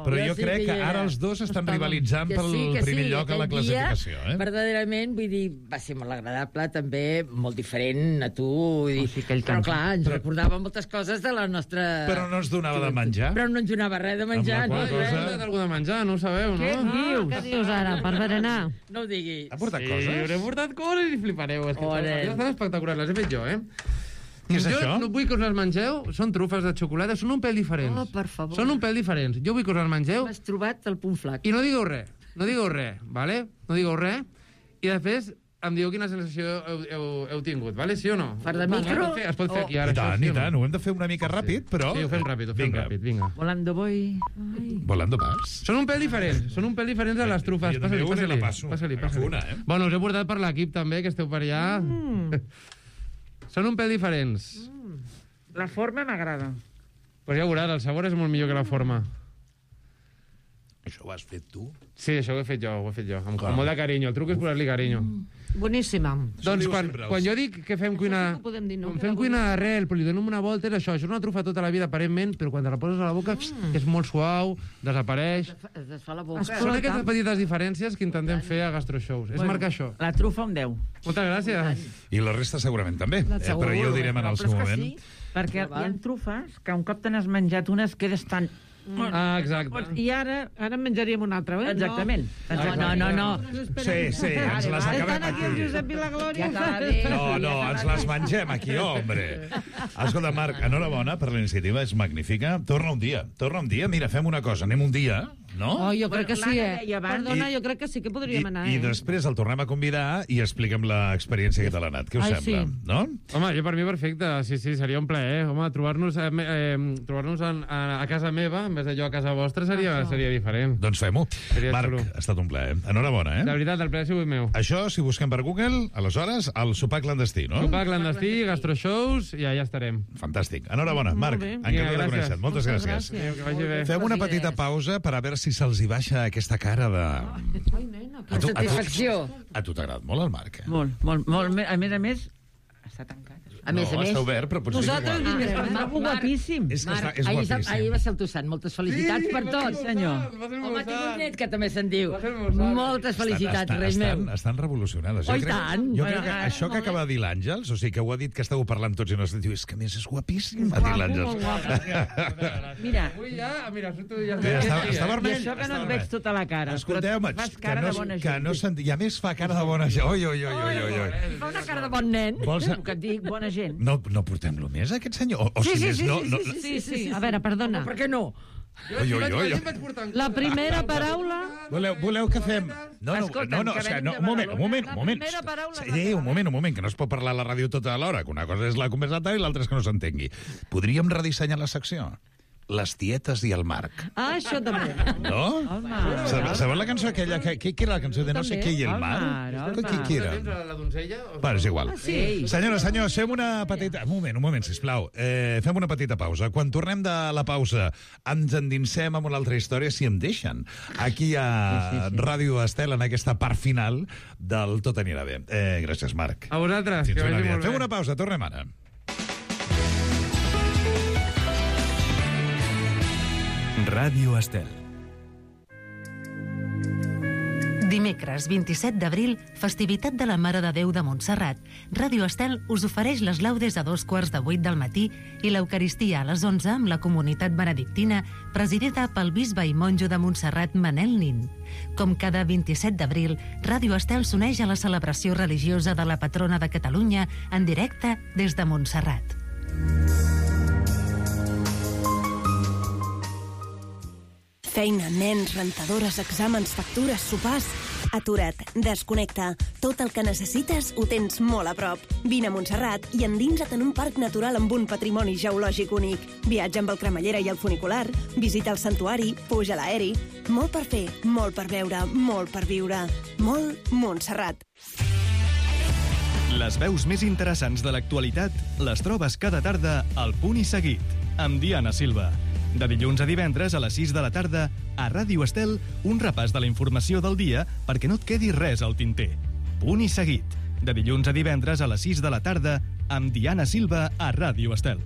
Però jo crec que ara els dos estan rivalitzant pel primer lloc a la classificació. Verdaderament, vull dir, va ser molt agradable, també, molt diferent a tu. Però clar, ens recordava moltes coses de la nostra... Però no ens donava de menjar. Però no ens donava res de menjar. Amb la qual cosa... d'algú de menjar, no ho sabeu, no? Què dius ara, per berenar? No ho diguis. Ha portat coses? Sí, hauré portat coses i flipareu. Estan espectaculars, les he fet jo, Què és això? Jo no vull que us les mengeu, són trufes de xocolata, són un pèl diferents. Oh, per favor. Són un pèl diferents. Jo vull que us les mengeu... M'has trobat el punt flac. I no digueu res, vale? No digueu res, i després em dieu quina sensació heu tingut, vale? Sí o no? Per de micro? Es pot fer aquí ara. I tant, ho hem de fer una mica ràpid, però... Sí, ho fem ràpid, vinga. Volando voy. Volando vas. Són un pèl diferents de les trufes. Passa-li. Bueno, us he portat per l'equip també, que esteu per allà. Són un pèl diferents. La forma m'agrada. Pues ja veuràs, el sabor és molt millor que la forma. Això ho has fet tu? Sí, això ho he fet jo, amb molt de carinyo. El truc és posar-li carinyo. Boníssima. Doncs quan jo dic que fem cuina... Fem cuina d'arrel, però li donem una volta, és això. Això és una trufa tota la vida, aparentment, però quan te la poses a la boca és molt suau, desapareix... Es desfà la boca. Són aquestes petites diferències que intentem fer a gastroshows. És marcar això. La trufa un 10. Moltes gràcies. I la resta segurament també, però ja ho direm en el seu moment. Perquè hi ha trufes que un cop te n'has menjat unes quedes tan... exacte. I ara en menjaríem una altra, eh? Exactament. No. Sí, ens les acabem aquí. El Josep i la Glòria. No, ens les mengem aquí, hombre. Escolta, Marc, enhorabona per la iniciativa, és magnífica. Torna un dia. Mira, fem una cosa, anem un dia, no? Oh, jo crec que sí, Perdona, jo crec que sí que podríem anar, I després el tornem a convidar i expliquem l'experiència que te l'ha anat. Què us sembla? No? Home, jo per mi perfecte. Sí, seria un plaer. Home, trobar-nos a casa meva, en vez d'allò a casa vostra, seria diferent. Doncs fem-ho. Marc, ha estat un plaer. Enhorabona, De veritat, el plaer ha sigut meu. Això, si busquem per Google, aleshores, el sopar clandestí, no? Sopar clandestí, gastroshows, i allà estarem. Fantàstic. Enhorabona, Marc. Encantat de conèixer-te. Moltes gràcies. Que vagi bé. Fem una petita pausa per a veure si se'ls hi baixa aquesta cara de... Ai, nena, que satisfacció. A tu t'ha agradat molt el Marc, Molt. A més, està tancat. A més, està obert, però potser nosaltres vindrem. Maco guapíssim. És guapíssim. Ahir va ser el teu sant. Moltes felicitats per tots, senyor. Home, tinc un net que també se'n diu. Moltes felicitats, rei meu. Estan revolucionades. Oh, i tant. Jo crec que això que acaba de dir l'Àngels, o sigui, que ho ha dit que esteu parlant tots i no diu, és que més és guapíssim, va dir l'Àngels. Mira, surto ja. Està vermell. I això que no et veig tota la cara. Escolteu-me, que no sent... I a més fa cara de bona gent. Oi. Fa una cara de bon nen. Que et dic bona gent. No portem-lo més, aquest senyor? Sí. A veure, perdona. Per què no? La primera paraula... Voleu que fem... No, un moment. Un moment, que no es pot parlar a la ràdio tota l'hora, que una cosa és la conversata i l'altra és que no s'entengui. Podríem redissenyar la secció? Les tietes i el Marc. Ah, això també. No? Sabeu la cançó aquella? Què era la cançó de no sé què i el Marc? Què era? La donzella? Bueno, és igual. Senyores, fem una petita... Un moment, sisplau. Fem una petita pausa. Quan tornem de la pausa ens endinsem en una altra història, si em deixen. Aquí a Ràdio Estel, en aquesta part final del Tot anirà bé. Gràcies, Marc. A vosaltres, que vagi molt bé. Fem una pausa, tornem ara. Ràdio Estel. Dimecres 27 d'abril, festivitat de la Mare de Déu de Montserrat. Ràdio Estel us ofereix les laudes a 7:45 del matí i l'Eucaristia a les 11 amb la comunitat benedictina, presidida pel bisbe i monjo de Montserrat, Manel Nin. Com cada 27 d'abril, Ràdio Estel s'uneix a la celebració religiosa de la patrona de Catalunya en directe des de Montserrat. Feina, nens, rentadores, exàmens, factures, sopars... Atura't, desconnecta. Tot el que necessites ho tens molt a prop. Vine a Montserrat i endinsa't en un parc natural amb un patrimoni geològic únic. Viatja amb el cremallera i el funicular, visita el santuari, puja a l'aeri... Molt per fer, molt per veure, molt per viure. Molt Montserrat. Les veus més interessants de l'actualitat les trobes cada tarda al Punt i Seguit, amb Diana Silva. De dilluns a divendres a les 6 de la tarda, a Ràdio Estel, un repàs de la informació del dia perquè no et quedi res al tinter. Punt i Seguit, de dilluns a divendres a les 6 de la tarda, amb Diana Silva a Ràdio Estel.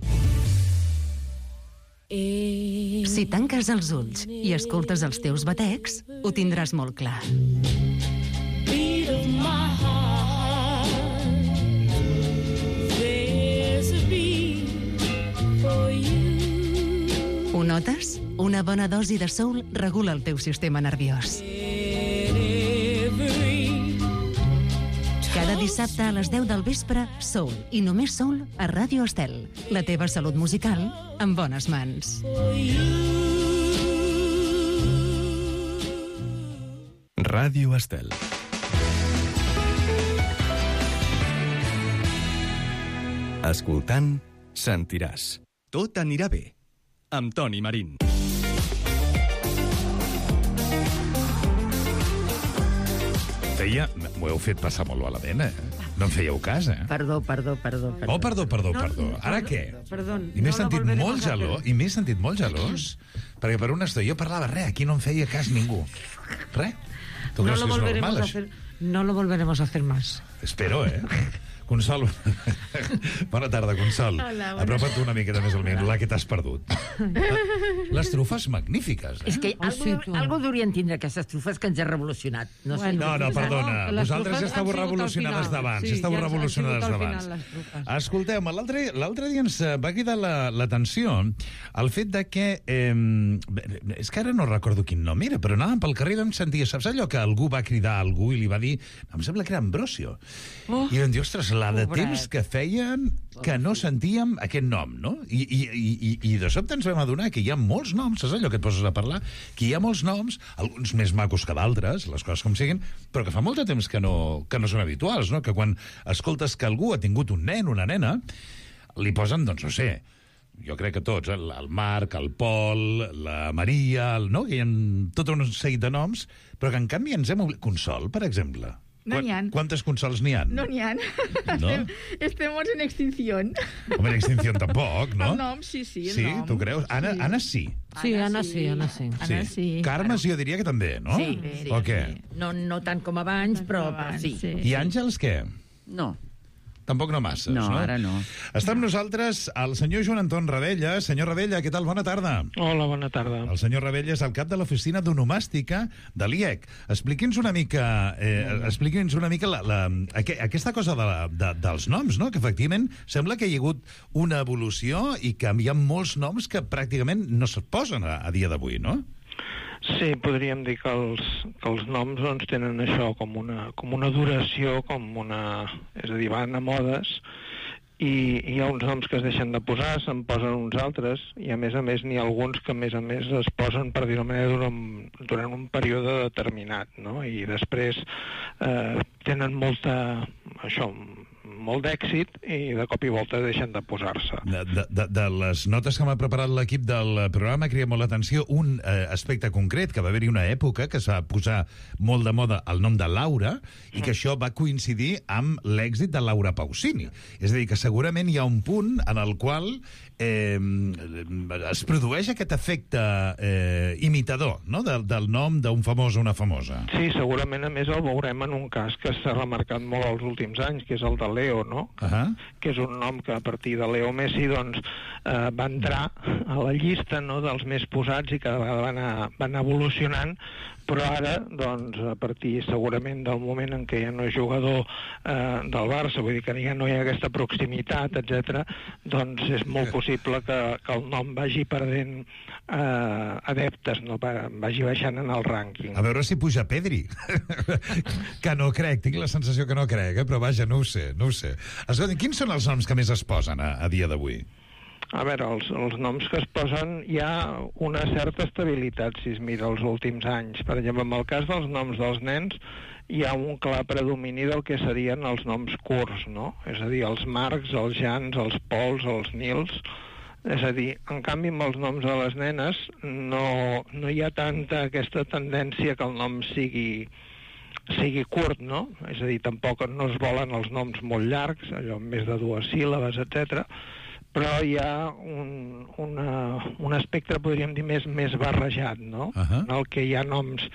Si tanques els ulls i escoltes els teus batecs, ho tindràs molt clar. Ho notes? Una bona dosi de soul regula el teu sistema nerviós. Cada dissabte a les 10 del vespre, soul i només soul a Ràdio Estel. La teva salut musical en bones mans. Ràdio Estel. Escoltant, sentiràs. Tot anirà bé. Amb Toni Marín. M'ho heu fet passar molt malament, No em fèieu cas, Perdó. Oh, perdó. Ara què? Perdó. I m'he sentit molt gelós, perquè per una estona jo parlava aquí no em feia cas ningú. Res. Tu creus que és normal, això? No lo volveremos a hacer más. Espero, Consol. Bona tarda, Consol. Hola, apropa't una miqueta més al micro, la que t'has perdut. Les trufes magnífiques. És que algú deurien tindre aquestes trufes que ens ha revolucionat. No, perdona. Vosaltres ja estàveu revolucionades d'abans. Escolteu, l'altre dia ens va cridar l'atenció el fet de que... és que ara no recordo quin nom era, però anàvem pel carrer i vam sentir... Saps allò que algú va cridar a algú i li va dir... Em sembla que era Ambrosio. I vam dir, ostres, la de temps que feien que no sentíem aquest nom, no? I de sobte ens vam adonar que hi ha molts noms, saps allò que et poses a parlar? Que hi ha molts noms, alguns més macos que d'altres, les coses com siguin, però que fa molt de temps que no són habituals, no? Que quan escoltes que algú ha tingut un nen, una nena, li posen, doncs no sé, jo crec que tots, el Marc, el Pol, la Maria, no? Que hi ha tot un seguit de noms, però que en canvi ens hem oblidat... Consol, per exemple. No n'hi ha. ¿Cuántos consols n'hi ha? No n'hi ha. ¿No? Estemos en extinción. Home, en extinció tampoc, no? El nom, sí. Sí, tu creus? Anna sí. Sí, Anna sí. Carme jo diria que també, no? Sí. O què? No tant com abans, però sí. I Àngels, què? No. Tampoc no masses, no? No, ara no. Està amb nosaltres el senyor Joan Anton Rebella. Senyor Rebella, què tal? Bona tarda. Hola, bona tarda. El senyor Rebella és el cap de l'oficina d'onomàstica de l'IEC. Expliqui'ns una mica, aquesta cosa dels noms, no? Que efectivament sembla que hi ha hagut una evolució i que hi ha molts noms que pràcticament no es posen a dia d'avui, no? Sí, podríem dir que els noms doncs, tenen això com una duració, és a dir, van a modes, i hi ha uns noms que es deixen de posar, se'n posen uns altres, i a més n'hi ha alguns que a més es posen, per dir-ho manera, durant un període determinat, no? I després tenen molt d'èxit i de cop i volta deixen de posar-se. De les notes que m'ha preparat l'equip del programa cria molt l'atenció un aspecte concret, que va haver-hi una època que es va posar molt de moda el nom de Laura i que això va coincidir amb l'èxit de Laura Pausini. És a dir, que segurament hi ha un punt en el qual es produeix aquest efecte imitador, no? Del nom d'un famós o una famosa. Sí, segurament a més el veurem en un cas que s'ha remarcat molt els últims anys, que és el de Leo, no? Que és un nom que a partir de Leo Messi doncs, va entrar a la llista, no?, dels més posats i que va anar evolucionant, però ara, doncs, a partir segurament del moment en què ja no és jugador del Barça, vull dir que ja no hi ha aquesta proximitat, etc., doncs és molt possible que el nom vagi perdent adeptes, no? Vagi baixant en el rànquing. A veure si puja Pedri. Que no crec, tinc la sensació que no crec, però vaja, no ho sé. Escolta, quins són els noms que més es posen a dia d'avui? A veure, els noms que es posen hi ha una certa estabilitat, si es mira els últims anys. Per exemple, en el cas dels noms dels nens hi ha un clar predomini del que serien els noms curts, no? És a dir, els Marcs, els Jans, els Pols, els Nils. És a dir, en canvi, amb els noms de les nenes no hi ha tanta aquesta tendència que el nom sigui sigui curt, no? És a dir, tampoc no es volen els noms molt llargs, allò amb més de 2 síl·labes, etc. Però hi ha un espectre, podríem dir, més barrejat, no? En el que hi ha noms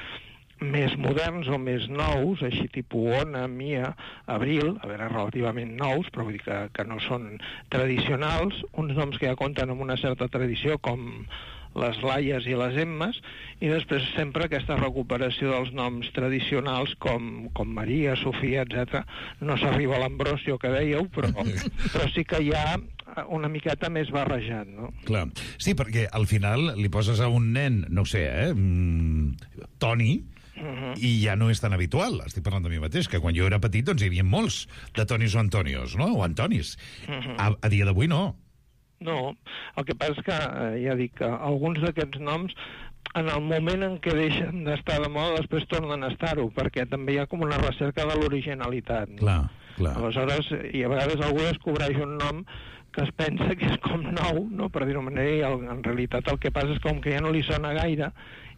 més moderns o més nous, així tipus Ona, Mia, Abril, a veure, relativament nous, però vull dir que no són tradicionals, uns noms que ja compten amb una certa tradició, com les Laies i les Emmes, i després sempre aquesta recuperació dels noms tradicionals com Maria, Sofia, etc. No s'arriba a l'Ambrosio que dèieu, però sí que hi ha una miqueta més barrejat, no? Clar. Sí, perquè al final li poses a un nen, no ho sé, Toni, i ja no és tan habitual. Estic parlant de mi mateix, que quan jo era petit doncs hi havia molts de Tonis o Antonios, no? O Antonis. A dia d'avui no. No, el que passa és que, ja dic, que alguns d'aquests noms, en el moment en què deixen d'estar de moda, després tornen a estar-ho, perquè també hi ha com una recerca de l'originalitat. No? Clar. Aleshores, i a vegades algú descobreix un nom que es pensa que és com nou, no? Per dir-ho manera, i en realitat el que passa és com que ja no li sona gaire,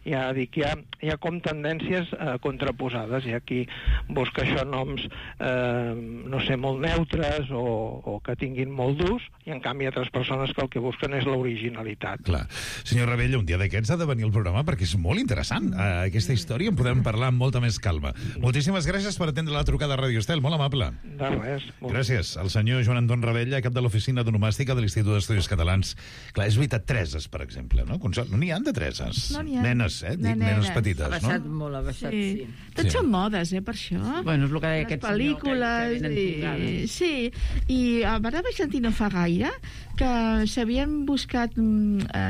ja dic, hi ha com tendències contraposades. Hi ha qui busca això noms, no sé, molt neutres o que tinguin molt d'ús, i en canvi altres persones que el que busquen és l'originalitat. Clar. Senyor Ravella, un dia d'aquests ha de venir al programa perquè és molt interessant. Aquesta història en podem parlar amb molta més calma. Moltíssimes gràcies per atendre la trucada a Radio Estel, molt amable. De res. Gràcies. El senyor Joan Anton Ravella, cap de l'Oficina d'Onomàstica de l'Institut d'Estudis Catalans. Clar, és veritat, Tereses, per exemple, no? No n'hi ha de Tereses. No n'hi ha. Nenes, nenes petites, no? Ha baixat molt, ha baixat, sí. Tots són modes, per això. Bueno, és el que deia aquest senyor. Pel·lícules, sí. I ara vaig sentir no fa gaire que s'havien buscat,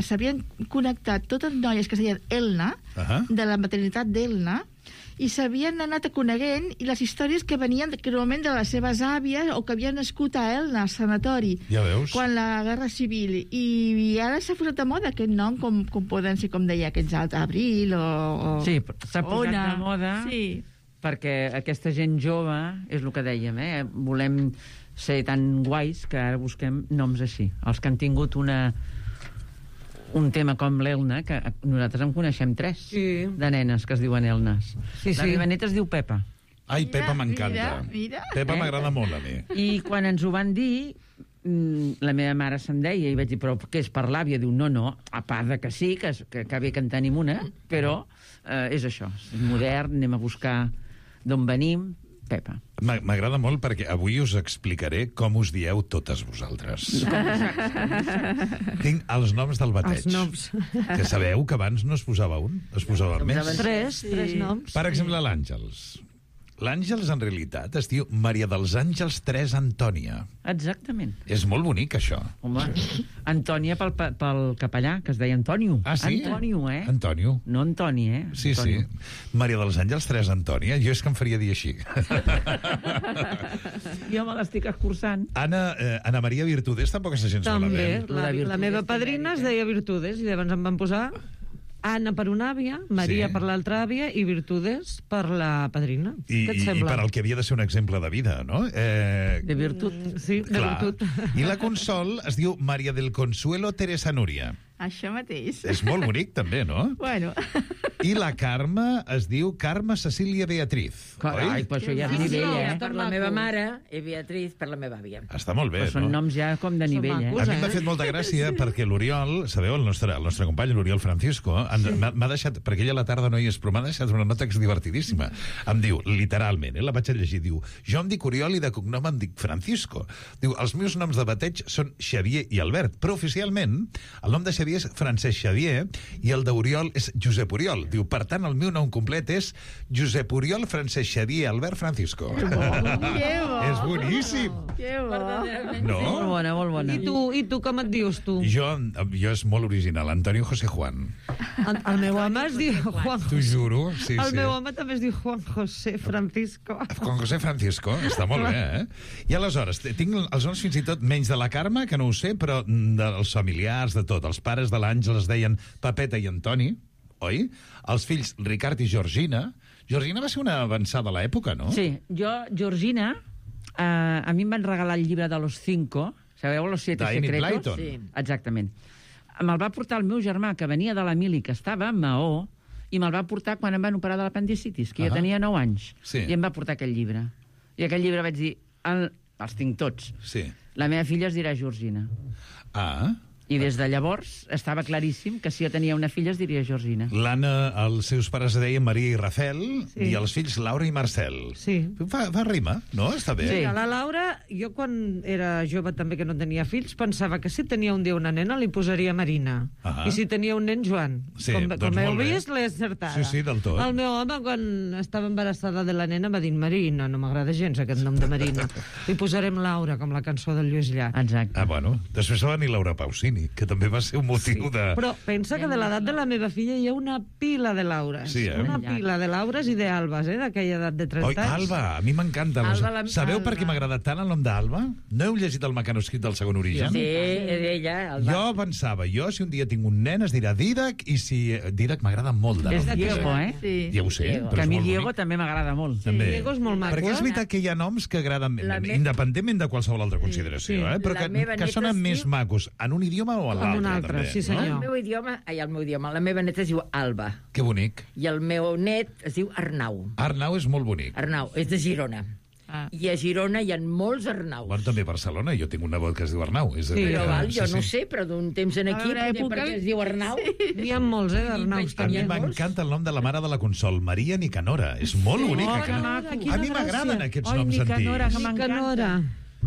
s'havien connectat totes noies que es deien Elna, de la maternitat d'Elna, i s'havien anat coneguent, i les històries que venien normalment de les seves àvies o que havien nascut a Elna, al sanatori, ja veus, quan la Guerra Civil, i ara s'ha posat de moda aquest nom, com poden ser, com deia aquests altres, Abril o sí, s'ha posat Ona, de moda, sí, perquè aquesta gent jove, és el que dèiem, volem ser tan guais que ara busquem noms així, els que han tingut un tema com l'Elna, que nosaltres en coneixem 3 de nenes que es diuen Elnes. La meva neta es diu Pepa. Ai, Pepa m'encanta. Pepa m'agrada molt a mi. I quan ens ho van dir, la meva mare se'n deia, i vaig dir, però què és per l'àvia? Diu, no, a part de que sí, que bé que en tenim una, però és això, és modern, anem a buscar d'on venim, Pepa. M'agrada molt perquè avui us explicaré com us dieu totes vosaltres. Tinc els noms del bateig. Els noms. Que sabeu que abans no es posava un, es posava més. Tres noms. Per exemple, l'Àngels. L'Àngels, en realitat, es diu Maria dels Àngels 3 Antònia. Exactament. És molt bonic, això. Home, Antònia pel capellà, que es deia Antònio. Ah, sí? Antònio, Antònio. No Antoni, Sí, Antònio. sí. Maria dels Àngels 3 Antònia. Jo és que em faria dir així. Jo me l'estic escurçant. Ana Maria Virtudes tampoc és gens malament. També. La meva padrina es deia Virtudes, i llavors em van posar Anna per una àvia, Maria per l'altra àvia i Virtudes per la padrina. I per al que havia de ser un exemple de vida, no? De virtut. Sí, de virtut. I la Consol es diu Maria del Consuelo Teresa Núria. Això mateix. És molt bonic, també, no? Bueno. I la Carme es diu Carme Cecília Beatriz. Ai, però això ja és nivell, Per la meva mare i Beatriz per la meva àvia. Està molt bé, no? Són noms ja com de nivell, A mi m'ha fet molta gràcia perquè l'Oriol, sabeu, el nostre company, l'Oriol Francisco, m'ha deixat, perquè ella a la tarda no hi és, però m'ha deixat una nota que és divertidíssima. Em diu, literalment, la vaig a llegir, diu, jo em dic Oriol i de cognom em dic Francisco. Diu, els meus noms de bateig són Xavier i Albert, però oficialment el nom de Xavier és Francesc Xavier i el d'Oriol és Josep Oriol. Diu, per tant, el meu nom complet és Josep Oriol Francesc Xavier Albert Francisco. Que bo. És boníssim. Que bo. No? Molt bona, molt bona. I tu com et dius, tu? Jo és molt original, Antonio José Juan. El meu home es diu Juan José. T'ho juro, sí. El meu home també es diu Juan José Francisco. Juan José Francisco, està molt bé, I aleshores, tinc els noms fins i tot menys de la Carme, que no ho sé, però dels familiars, de tot. Els pares de l'Àngel es deien Pepeta i Antoni, oi? Els fills Ricard i Georgina. Georgina va ser una avançada a l'època, no? Sí, Georgina, a mi em van regalar el llibre de los 5, sabeu, los 7 secretos? Sí. Exactament. Me'l va portar el meu germà, que venia de la mili, que estava a Maó, i me'l va portar quan em van operar de l'apendicitis, que jo tenia 9 anys, i em va portar aquell llibre. I aquell llibre vaig dir, els tinc tots. Sí. La meva filla es dirà Georgina. I des de llavors estava claríssim que si jo tenia una filla es diria Georgina. L'Anna, els seus pares es deien Maria i Rafel, i els fills Laura i Marcel. Sí. Fa rima, no? Està bé. Sí, a la Laura, jo quan era jove també que no tenia fills, pensava que si tenia un dia una nena li posaria Marina. I si tenia un nen, Joan. Sí, com heu vist, l'he encertada. Sí, del tot. El meu home, quan estava embarassada de la nena, va dir Marina, no m'agrada gens aquest nom de Marina. Li posarem Laura, com la cançó del Lluís Llach. Exacte. Bueno, després va venir Laura Pausini, que també va ser un motiu de... Però pensa que de l'edat de la meva filla hi ha una pila de Laures. Sí, Una pila de Laures i d'Albes, d'aquella edat de 30 anys. Alba, a mi m'encanta. Sabeu per què m'ha agradat tant el nom d'Alba? No heu llegit el mecanoscrit del Segon Origen? Sí, ella, Alba. Jo pensava, si un dia tinc un nen es dirà Didac, i si... Didac m'agrada molt. És de Diego, Sí. Ja ho sé. Que a mi Diego també m'agrada molt. Diego és molt maco. Perquè és veritat que hi ha noms que agraden, independentment de qualsevol altra consideració, però que sonen més macos en un idioma o en l'altre. En un altre, sí senyor. El meu idioma, la meva neta es diu Alba. Que bonic. I el meu net es diu Arnau. Arnau és molt bonic. Arnau, és de Girona. I a Girona hi ha molts Arnaus. Bueno, també a Barcelona, jo tinc un nebot que es diu Arnau. Jo no sé, però d'un temps en aquí, perquè es diu Arnau. N'hi ha molts, d'Arnaus. A mi m'encanta el nom de la mare de la Consol, Maria Nicanora. És molt bonic. A mi m'agraden aquests noms antics. Nicanora.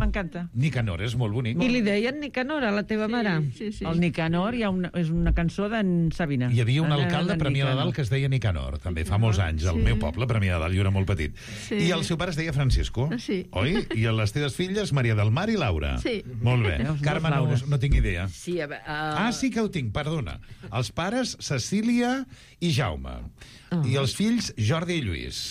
M'encanta. Nicanor és molt bonic. I li deien Nicanora, la teva mare. Sí. El Nicanor és una cançó d'en Sabina. Hi havia un alcalde a Premià de Dalt que es deia Nicanor, també fa molts anys, al meu poble, Premià de Dalt, jo era molt petit. I el seu pare es deia Francisco, oi? I les teves filles, Maria del Mar i Laura. Sí. Molt bé. Carme, no tinc idea. Sí, sí que ho tinc, perdona. Els pares, Cecília i Jaume. I els fills, Jordi i Lluís.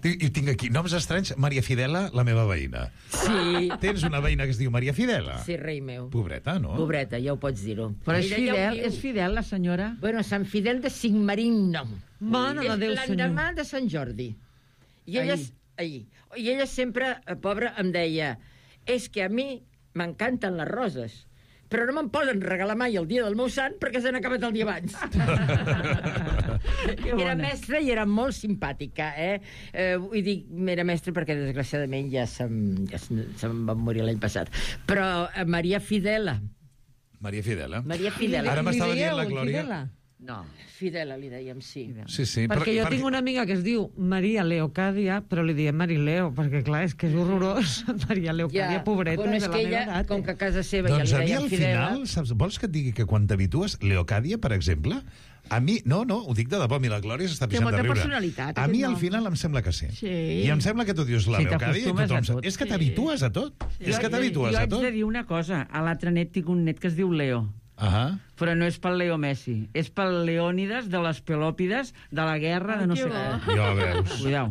I tinc aquí noms estranys. Maria Fidela, la meva veïna. Sí. Tens una veïna que es diu Maria Fidela? Sí, rei meu. Pobreta, no? Pobreta, ja ho pots dir-ho. Però és fidel, la senyora? Bueno, Sant Fidel de Sigmarín, no. Mare de Déu, senyor. L'endemà de Sant Jordi. I ella sempre, pobra, em deia, és que a mi m'encanten les roses, però no me'n poden regalar mai el dia del meu sant perquè s'han acabat el dia abans. Era mestra i era molt simpàtica, vull dir, era mestra perquè desgraciadament ja se'm va morir l'any passat. Però Maria Fidela. Maria Fidela. Ara m'estava dient la Glòria. No, Fidela li dèiem, sí. Sí. Perquè jo tinc una amiga que es diu Maria Leocàdia, però li diem Marileo, perquè clar, és que és horrorós. Maria Leocàdia, pobreta, de la meva edat. Com que a casa seva ja li deien Fidela... Doncs a mi al final, saps, vols que et digui que quan t'habitues, Leocàdia, per exemple, a mi, no, ho dic de debò, a mi la Glòria s'està pixant de riure. Té molta personalitat. A mi al final em sembla que sí. I em sembla que tu dius la Leocàdia i tothom... És que t'habitues a tot. És que t'habitues a tot. Jo haig de dir una cosa, a l'altre net tinc un net que es diu Leo. Però no és pel Leo Messi, és pel Leònides de les Pelòpides de la guerra de no sé què. Ja veus. Cuidao.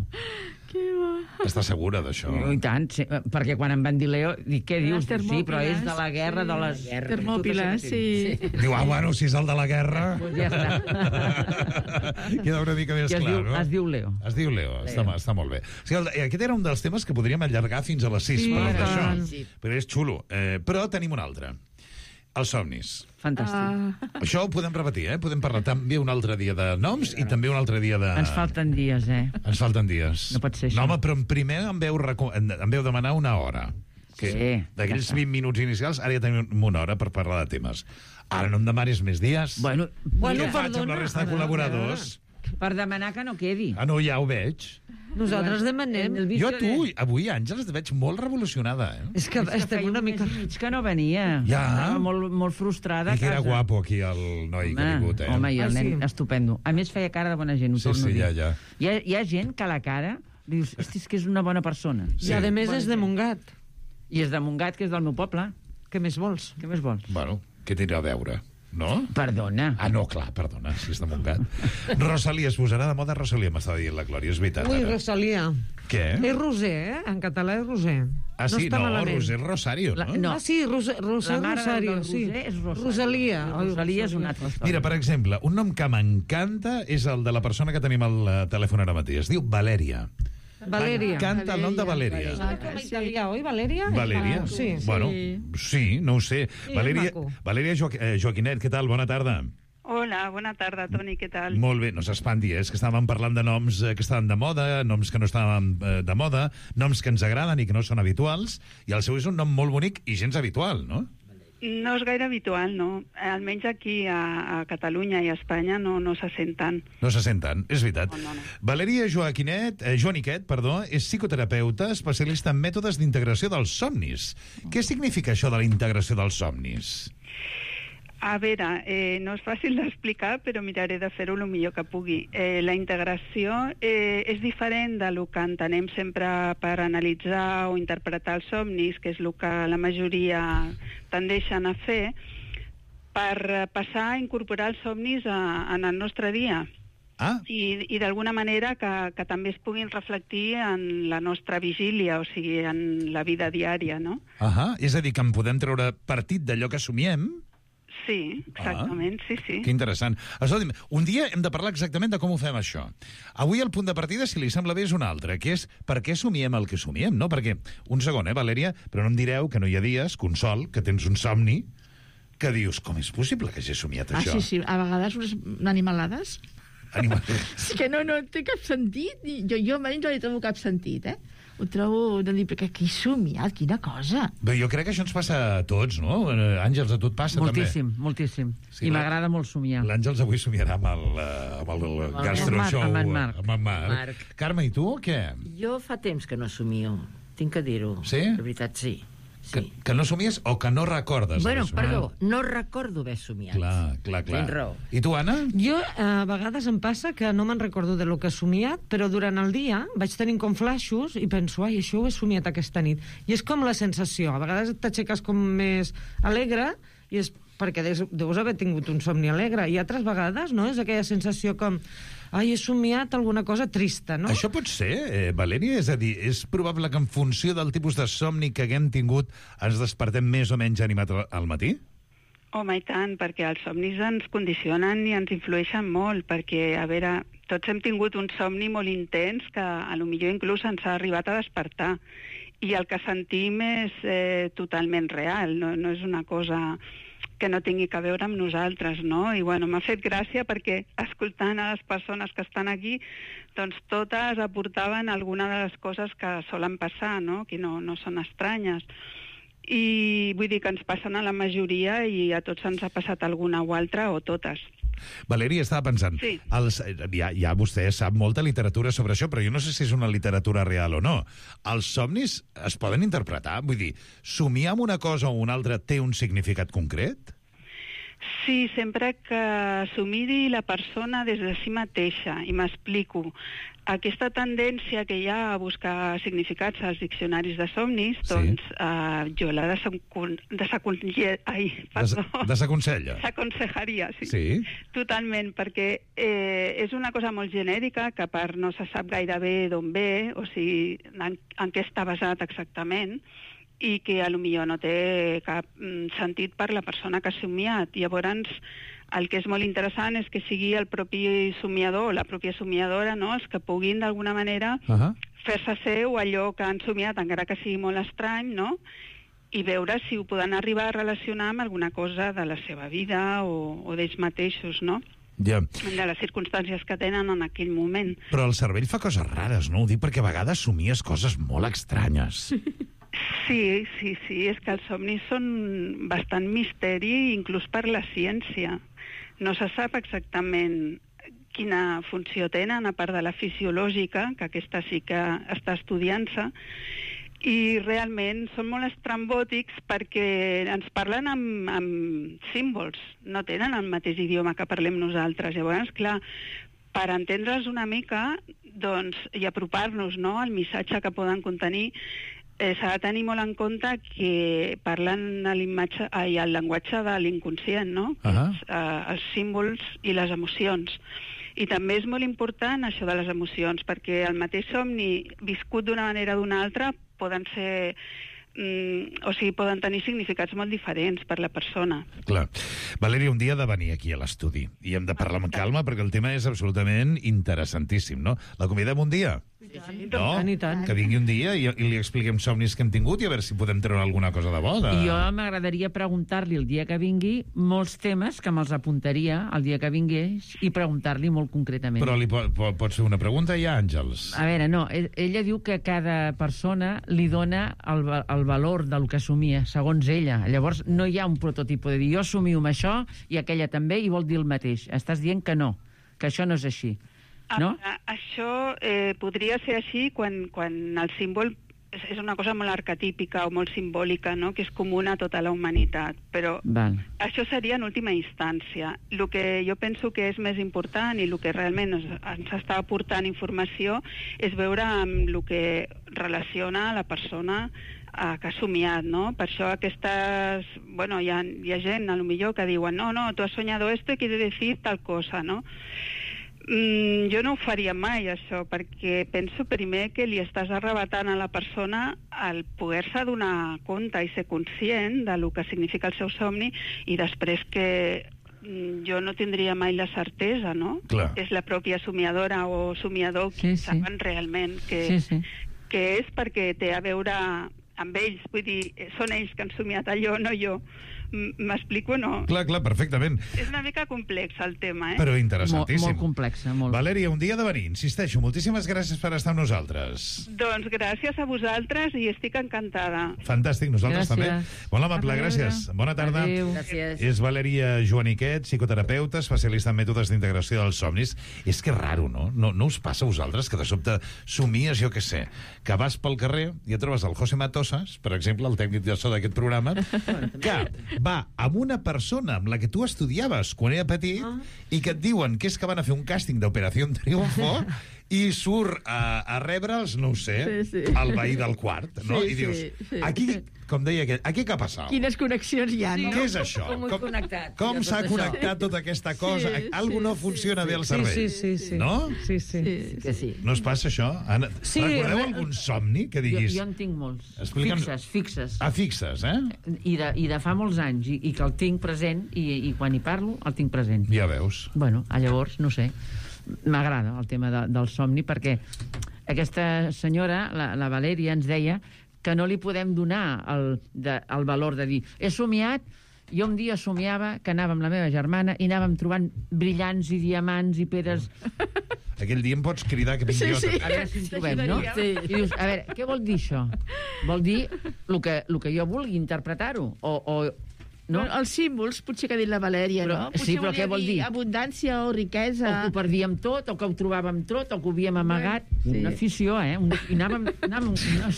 Estàs segura d'això? I tant, perquè quan em van dir Leo, dic, què dius? Sí, però és de la guerra de les... Termòpiles, sí. Diu, bueno, si és el de la guerra... Pues ja està. Queda una mica més clar, no? Es diu Leo. Es diu Leo, està molt bé. O sigui, aquest era un dels temes que podríem allargar fins a les 6, però és xulo. Però tenim un altre. Els somnis. Fantàstic. Això ho podem repetir, Podem parlar també un altre dia de noms i també un altre dia de... Ens falten dies, Ens falten dies. No pot ser això. No, home, però primer em veu demanar una hora. D'aquells 20 minuts inicials, ara ja tenim una hora per parlar de temes. Ara no em demanis més dies. Bueno, què faig amb la resta de col·laboradors? Per demanar que no quedi. No, ja ho veig. Nosaltres demanem. Jo avui, Àngels, et veig molt revolucionada, És que estem una mica... que no venia. Ja. Molt frustrada. I que era guapo aquí el noi que ha vingut, Home, i el nen estupendo. A més, feia cara de bona gent, ho torno a dir. Ja. Hi ha gent que a la cara dius, hosti, és que és una bona persona. I a més és de Montgat. I és de Montgat, que és del meu poble. Què més vols? Bueno, què tindrà a veure? No? Perdona. No, clar, perdona, si és de Montgat. Rosalia, es posarà de moda Rosalia, m'estava dient la Glòria, és veritat. Ui, Rosalia. Què? És Roser, En català és Roser. Sí? No, Roser Rosario, no? Sí, Roser Rosario, sí. Rosalia. Rosalia és una altra història. Mira, per exemple, un nom que m'encanta és el de la persona que tenim al telèfon ara mateix. Es diu Valèria. Valeria. Canta el nom de Valèria. Com italià, oi, Valeria? Valeria? Sí. Bueno, sí, no ho sé. Valeria Joaquinet, què tal? Bona tarda. Hola, bona tarda, Toni, què tal? Molt bé, no s'espanti, és que estàvem parlant de noms que estaven de moda, noms que no estaven de moda, noms que ens agraden i que no són habituals, i el seu és un nom molt bonic i gens habitual, no? No és gaire habitual, no. Almenys aquí a Catalunya i a Espanya no se senten. No se senten, és veritat. No. Valeria Joaniquet, és psicoterapeuta, especialista en mètodes d'integració dels somnis. Què significa això de la integració dels somnis? A veure, no és fàcil d'explicar, però miraré de fer-ho el millor que pugui. La integració és diferent de lo que entenem sempre per analitzar o interpretar els somnis, que és el que la majoria tendeixen a fer, per passar a incorporar els somnis en el nostre dia. I d'alguna manera que també es puguin reflectir en la nostra vigília, o sigui, en la vida diària, no? És a dir, que en podem treure partit d'allò que somiem? Sí, exactament, sí. Que interessant. Escolti'm, un dia hem de parlar exactament de com ho fem, això. Avui el punt de partida, si li sembla bé, és un altre, que és per què somiem el que somiem, no? Perquè, un segon, Valèria, però no em direu que no hi ha dies, Consol, que tens un somni, que dius, com és possible que hagi somiat això? Sí, a vegades unes animalades. És que no té cap sentit. Jo almenys no li trobo cap sentit, Ho trobo de dir, perquè aquí he somiat, quina cosa. Bé, jo crec que això ens passa a tots, no? Àngels, a tu et passa moltíssim, també? Moltíssim, Sí, i m'agrada molt somiar. L'Àngels avui somiarà amb el gastroshow. Amb en Marc. Amb en Marc. Carme, i tu, què? Jo fa temps que no somio, tinc que dir-ho. Sí? De veritat, sí. Que no somies o que no recordes? Perdó, no recordo haver somiat. Clar. Tens raó. I tu, Anna? Jo, a vegades em passa que no me'n recordo de lo que he somiat, però durant el dia vaig tenint com flaixos i penso, això ho he somiat aquesta nit. I és com la sensació. A vegades t'aixeques com més alegre i és perquè deus haver tingut un somni alegre. I altres vegades, no? És aquella sensació com... he somiat alguna cosa trista, no? Això pot ser, Valèria? És a dir, és probable que en funció del tipus de somni que haguem tingut ens despertem més o menys animat al matí? Home, i tant, perquè els somnis ens condicionen i ens influeixen molt, perquè, a veure, tots hem tingut un somni molt intens que a lo millor inclús ens ha arribat a despertar. I el que sentim és totalment real, no és una cosa que no tingui a veure amb nosaltres, no? I bueno, m'ha fet gràcia perquè escoltant a les persones que estan aquí, doncs totes aportaven alguna de les coses que solen passar, no? Que no són estranyes. I vull dir que ens passen a la majoria i a tots ens ha passat alguna o altra o totes. Valèria, estava pensant, sí. Ja vostè sap molta literatura sobre això, però jo no sé si és una literatura real o no. Els somnis es poden interpretar? Vull dir, somiar amb una cosa o una altra té un significat concret? Sí, sempre que s'ho miri la persona des de si mateixa, i m'explico. Aquesta tendència que hi ha a buscar significats als diccionaris de somnis, doncs jo la desaconsellaria, sí. Totalment, perquè és una cosa molt genèrica que a part no se sap gaire bé d'on ve, o sigui, en què està basat exactament, i que a lo millor no té cap sentit per la persona que ha somiat. Llavors, el que és molt interessant és que sigui el propi somiador o la pròpia somiadora, no?, els que puguin d'alguna manera fer-se seu allò que han somiat, encara que sigui molt estrany, no?, i veure si ho poden arribar a relacionar amb alguna cosa de la seva vida o d'ells mateixos, no?, de les circumstàncies que tenen en aquell moment. Però el cervell fa coses rares, no? Ho dic perquè a vegades somies coses molt estranyes. Sí, és que els somnis són bastant misteri, inclús per la ciència. No se sap exactament quina funció tenen, a part de la fisiològica, que aquesta sí que està estudiant-se, i realment són molt estrambòtics perquè ens parlen amb símbols, no tenen el mateix idioma que parlem nosaltres. Llavors, clar, per entendre'ls una mica, doncs, i apropar-nos, no?, al missatge que poden contenir, s'ha de tenir molt en compte que parlen el llenguatge de l'inconscient, no? Els símbols i les emocions. I també és molt important això de les emocions, perquè el mateix somni viscut d'una manera o d'una altra poden ser... poden tenir significats molt diferents per la persona. Clar. Valèria, un dia ha de venir aquí a l'estudi i hem de parlar amb calma perquè el tema és absolutament interessantíssim, no? La convidem un dia? Que vingui un dia i li expliquem somnis que hem tingut i a veure si podem treure alguna cosa de bo. I jo m'agradaria preguntar-li el dia que vingui molts temes que me'ls apuntaria el dia que vingués i preguntar-li molt concretament. Però li pots fer una pregunta ja, Àngels? A veure, no, ella diu que cada persona li dona el valor del que somia, segons ella. Llavors no hi ha un prototip de dir jo somio amb això i aquella també i vol dir el mateix. Estàs dient que no, que això no és així. No? Això podria ser així quan el símbol és una cosa molt arquetípica o molt simbòlica, no? Que és comuna a tota la humanitat, però això seria en última instància. El que jo penso que és més important i el que realment ens està aportant informació és veure amb el que relaciona la persona que ha somiat, no? Per això aquestes... Bueno, hi ha gent, a lo millor, que diuen no, tu has soñado esto y quiere decir tal cosa, no? Jo no ho faria mai, això, perquè penso primer que li estàs arrebatant a la persona el poder-se donar compte i ser conscient de lo que significa el seu somni i després que jo no tindria mai la certesa, no? Clar. És la pròpia somiadora o somiador que saben realment que és perquè té a veure amb ells, vull dir, són ells que han somiat allò, no jo. M'explico o no? Clar, perfectament. És una mica complex el tema, Però interessantíssim. Molt complexa, molt. Valèria, un dia de venir, insisteixo, moltíssimes gràcies per estar amb nosaltres. Doncs gràcies a vosaltres i estic encantada. Fantàstic, nosaltres també. Molt amable, gràcies. Bona tarda. Adéu. Gràcies. És Valèria Joaniquet, psicoterapeuta, especialista en mètodes d'integració dels somnis. És que és raro, no? No us passa a vosaltres que de sobte somies, jo què sé, que vas pel carrer i et trobes el José Matosas, per exemple, el tècnic de so d'aquest programa, que va amb una persona amb la que tu estudiaves quan era petit i que et diuen que és que van a fer un càsting d'Operació Triunfo i surt a rebre'ls, no ho sé, el veí del quart, no? I dius, aquí, com deia aquest, aquí què ha passat? Quines connexions hi ha, no? Què és això? Com s'ha connectat tota aquesta cosa? Algú no funciona bé al cervell. No? Sí. No es passa això? Recordeu algun somni que diguis... Jo en tinc molts. Fixes. Fixes, I de fa molts anys, i que el tinc present, i quan hi parlo, el tinc present. Ja veus. Bueno, llavors, no sé, m'agrada el tema del somni, perquè aquesta senyora, la Valèria, ens deia que no li podem donar el valor de dir he somiat, jo un dia somiava que anava amb la meva germana i anàvem trobant brillants i diamants i pedres. Aquell dia em pots cridar que vinc jo. A veure si en trobem, no? I dius, a veure, què vol dir això? Vol dir el que jo vulgui interpretar-ho, o no? Els símbols, potser que ha dit la Valèria, no? Sí, però què vol dir? Abundància o riquesa. O que ho perdíem tot, o que ho trobàvem tot, o que ho havíem amagat. Una afició, I anàvem una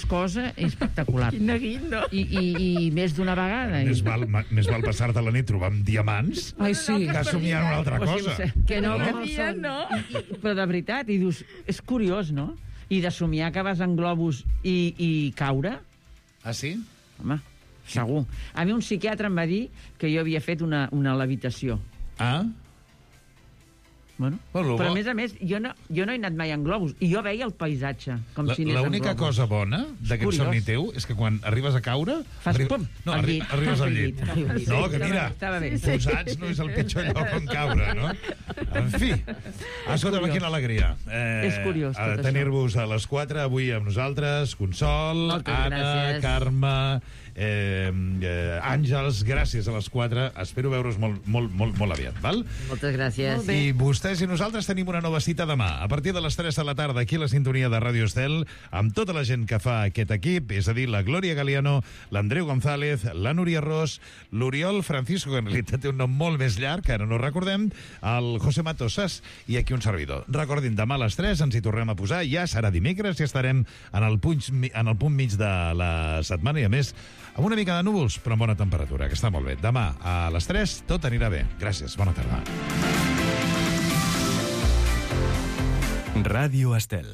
cosa espectacular. Quin neguit, no? I més d'una vegada. Més val passar-te la nit trobant diamants que somiant una altra cosa. Que no, no. Però de veritat, i dius, és curiós, no? I de somiar que vas en globus i caure. Ah, sí? Home, segur. A mi un psiquiatre em va dir que jo havia fet una levitació. Ah? Bueno, però a més, jo no he anat mai en globus, i jo veia el paisatge, com si anés en globus. L'única cosa bona d'aquest somni teu és que quan arribes a caure... Fas pum, al llit. Arribes al llit. No, que mira, posats no és el pitjor lloc on caure, no? En fi, escolta'm, quina alegria. És curiós, tot això. Tenir-vos a les 4 avui amb nosaltres, Consol, Anna, Carme, Àngels, gràcies a les 4. Espero veure's molt aviat, val? Moltes gràcies. I vostès i nosaltres tenim una nova cita demà, a partir de les 3 de la tarda, aquí a la sintonia de Ràdio Estel, amb tota la gent que fa aquest equip, és a dir, la Glòria Galiano, l'Andreu González, la Núria Ros, l'Oriol Francisco, que en realitat té un nom molt més llarg, que ara no recordem, el José Matosas i aquí un servidor. Recordin, demà a les 3 ens hi tornem a posar, ja serà dimecres i estarem en el punt mig de la setmana i, a més, amb una mica de núvols, però amb bona temperatura, que està molt bé. Demà a les 3 tot anirà bé. Gràcies, bona tarda. Ràdio Estel.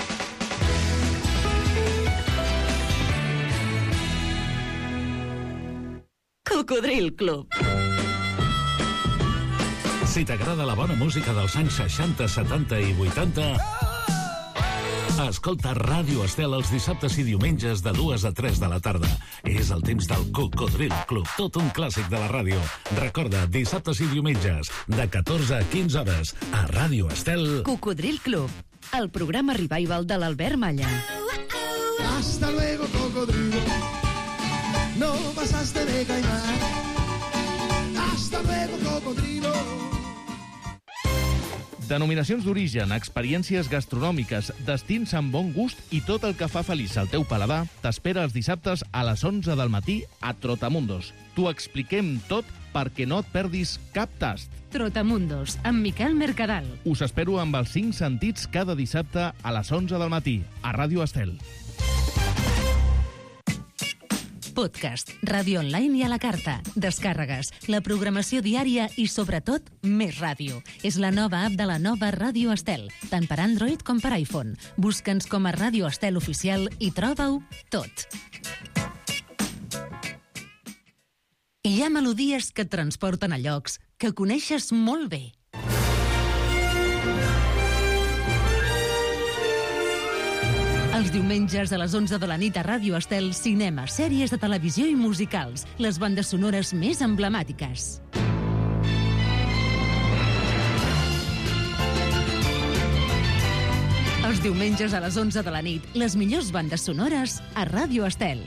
Cocodril Club. Si t'agrada la bona música dels anys 60, 70 i 80... Escolta Ràdio Estel els dissabtes i diumenges de 2 a 3 de la tarda. És el temps del Cocodril Club, tot un clàssic de la ràdio. Recorda, dissabtes i diumenges, de 14 a 15 hores, a Ràdio Estel... Cocodril Club, el programa Revival de l'Albert Malla. Hasta luego, cocodrilo. No pasaste de caimán. Hasta luego, cocodrilo. Denominacions d'origen, experiències gastronòmiques, destins amb bon gust i tot el que fa feliç al teu paladar t'espera els dissabtes a les 11 del matí a Trotamundos. T'ho expliquem tot perquè no et perdis cap tast. Trotamundos, amb Miquel Mercadal. Us espero amb els 5 sentits cada dissabte a les 11 del matí a Ràdio Estel. Podcast, ràdio online i a la carta, descàrregues, la programació diària i, sobretot, més ràdio. És la nova app de la nova Ràdio Estel, tant per Android com per iPhone. Busca'ns com a Ràdio Estel Oficial i troba-ho tot. Hi ha melodies que et transporten a llocs que coneixes molt bé. Els diumenges a les 11 de la nit a Ràdio Estel, cinema, sèries de televisió i musicals, les bandes sonores més emblemàtiques. Els diumenges a les 11 de la nit, les millors bandes sonores a Ràdio Estel.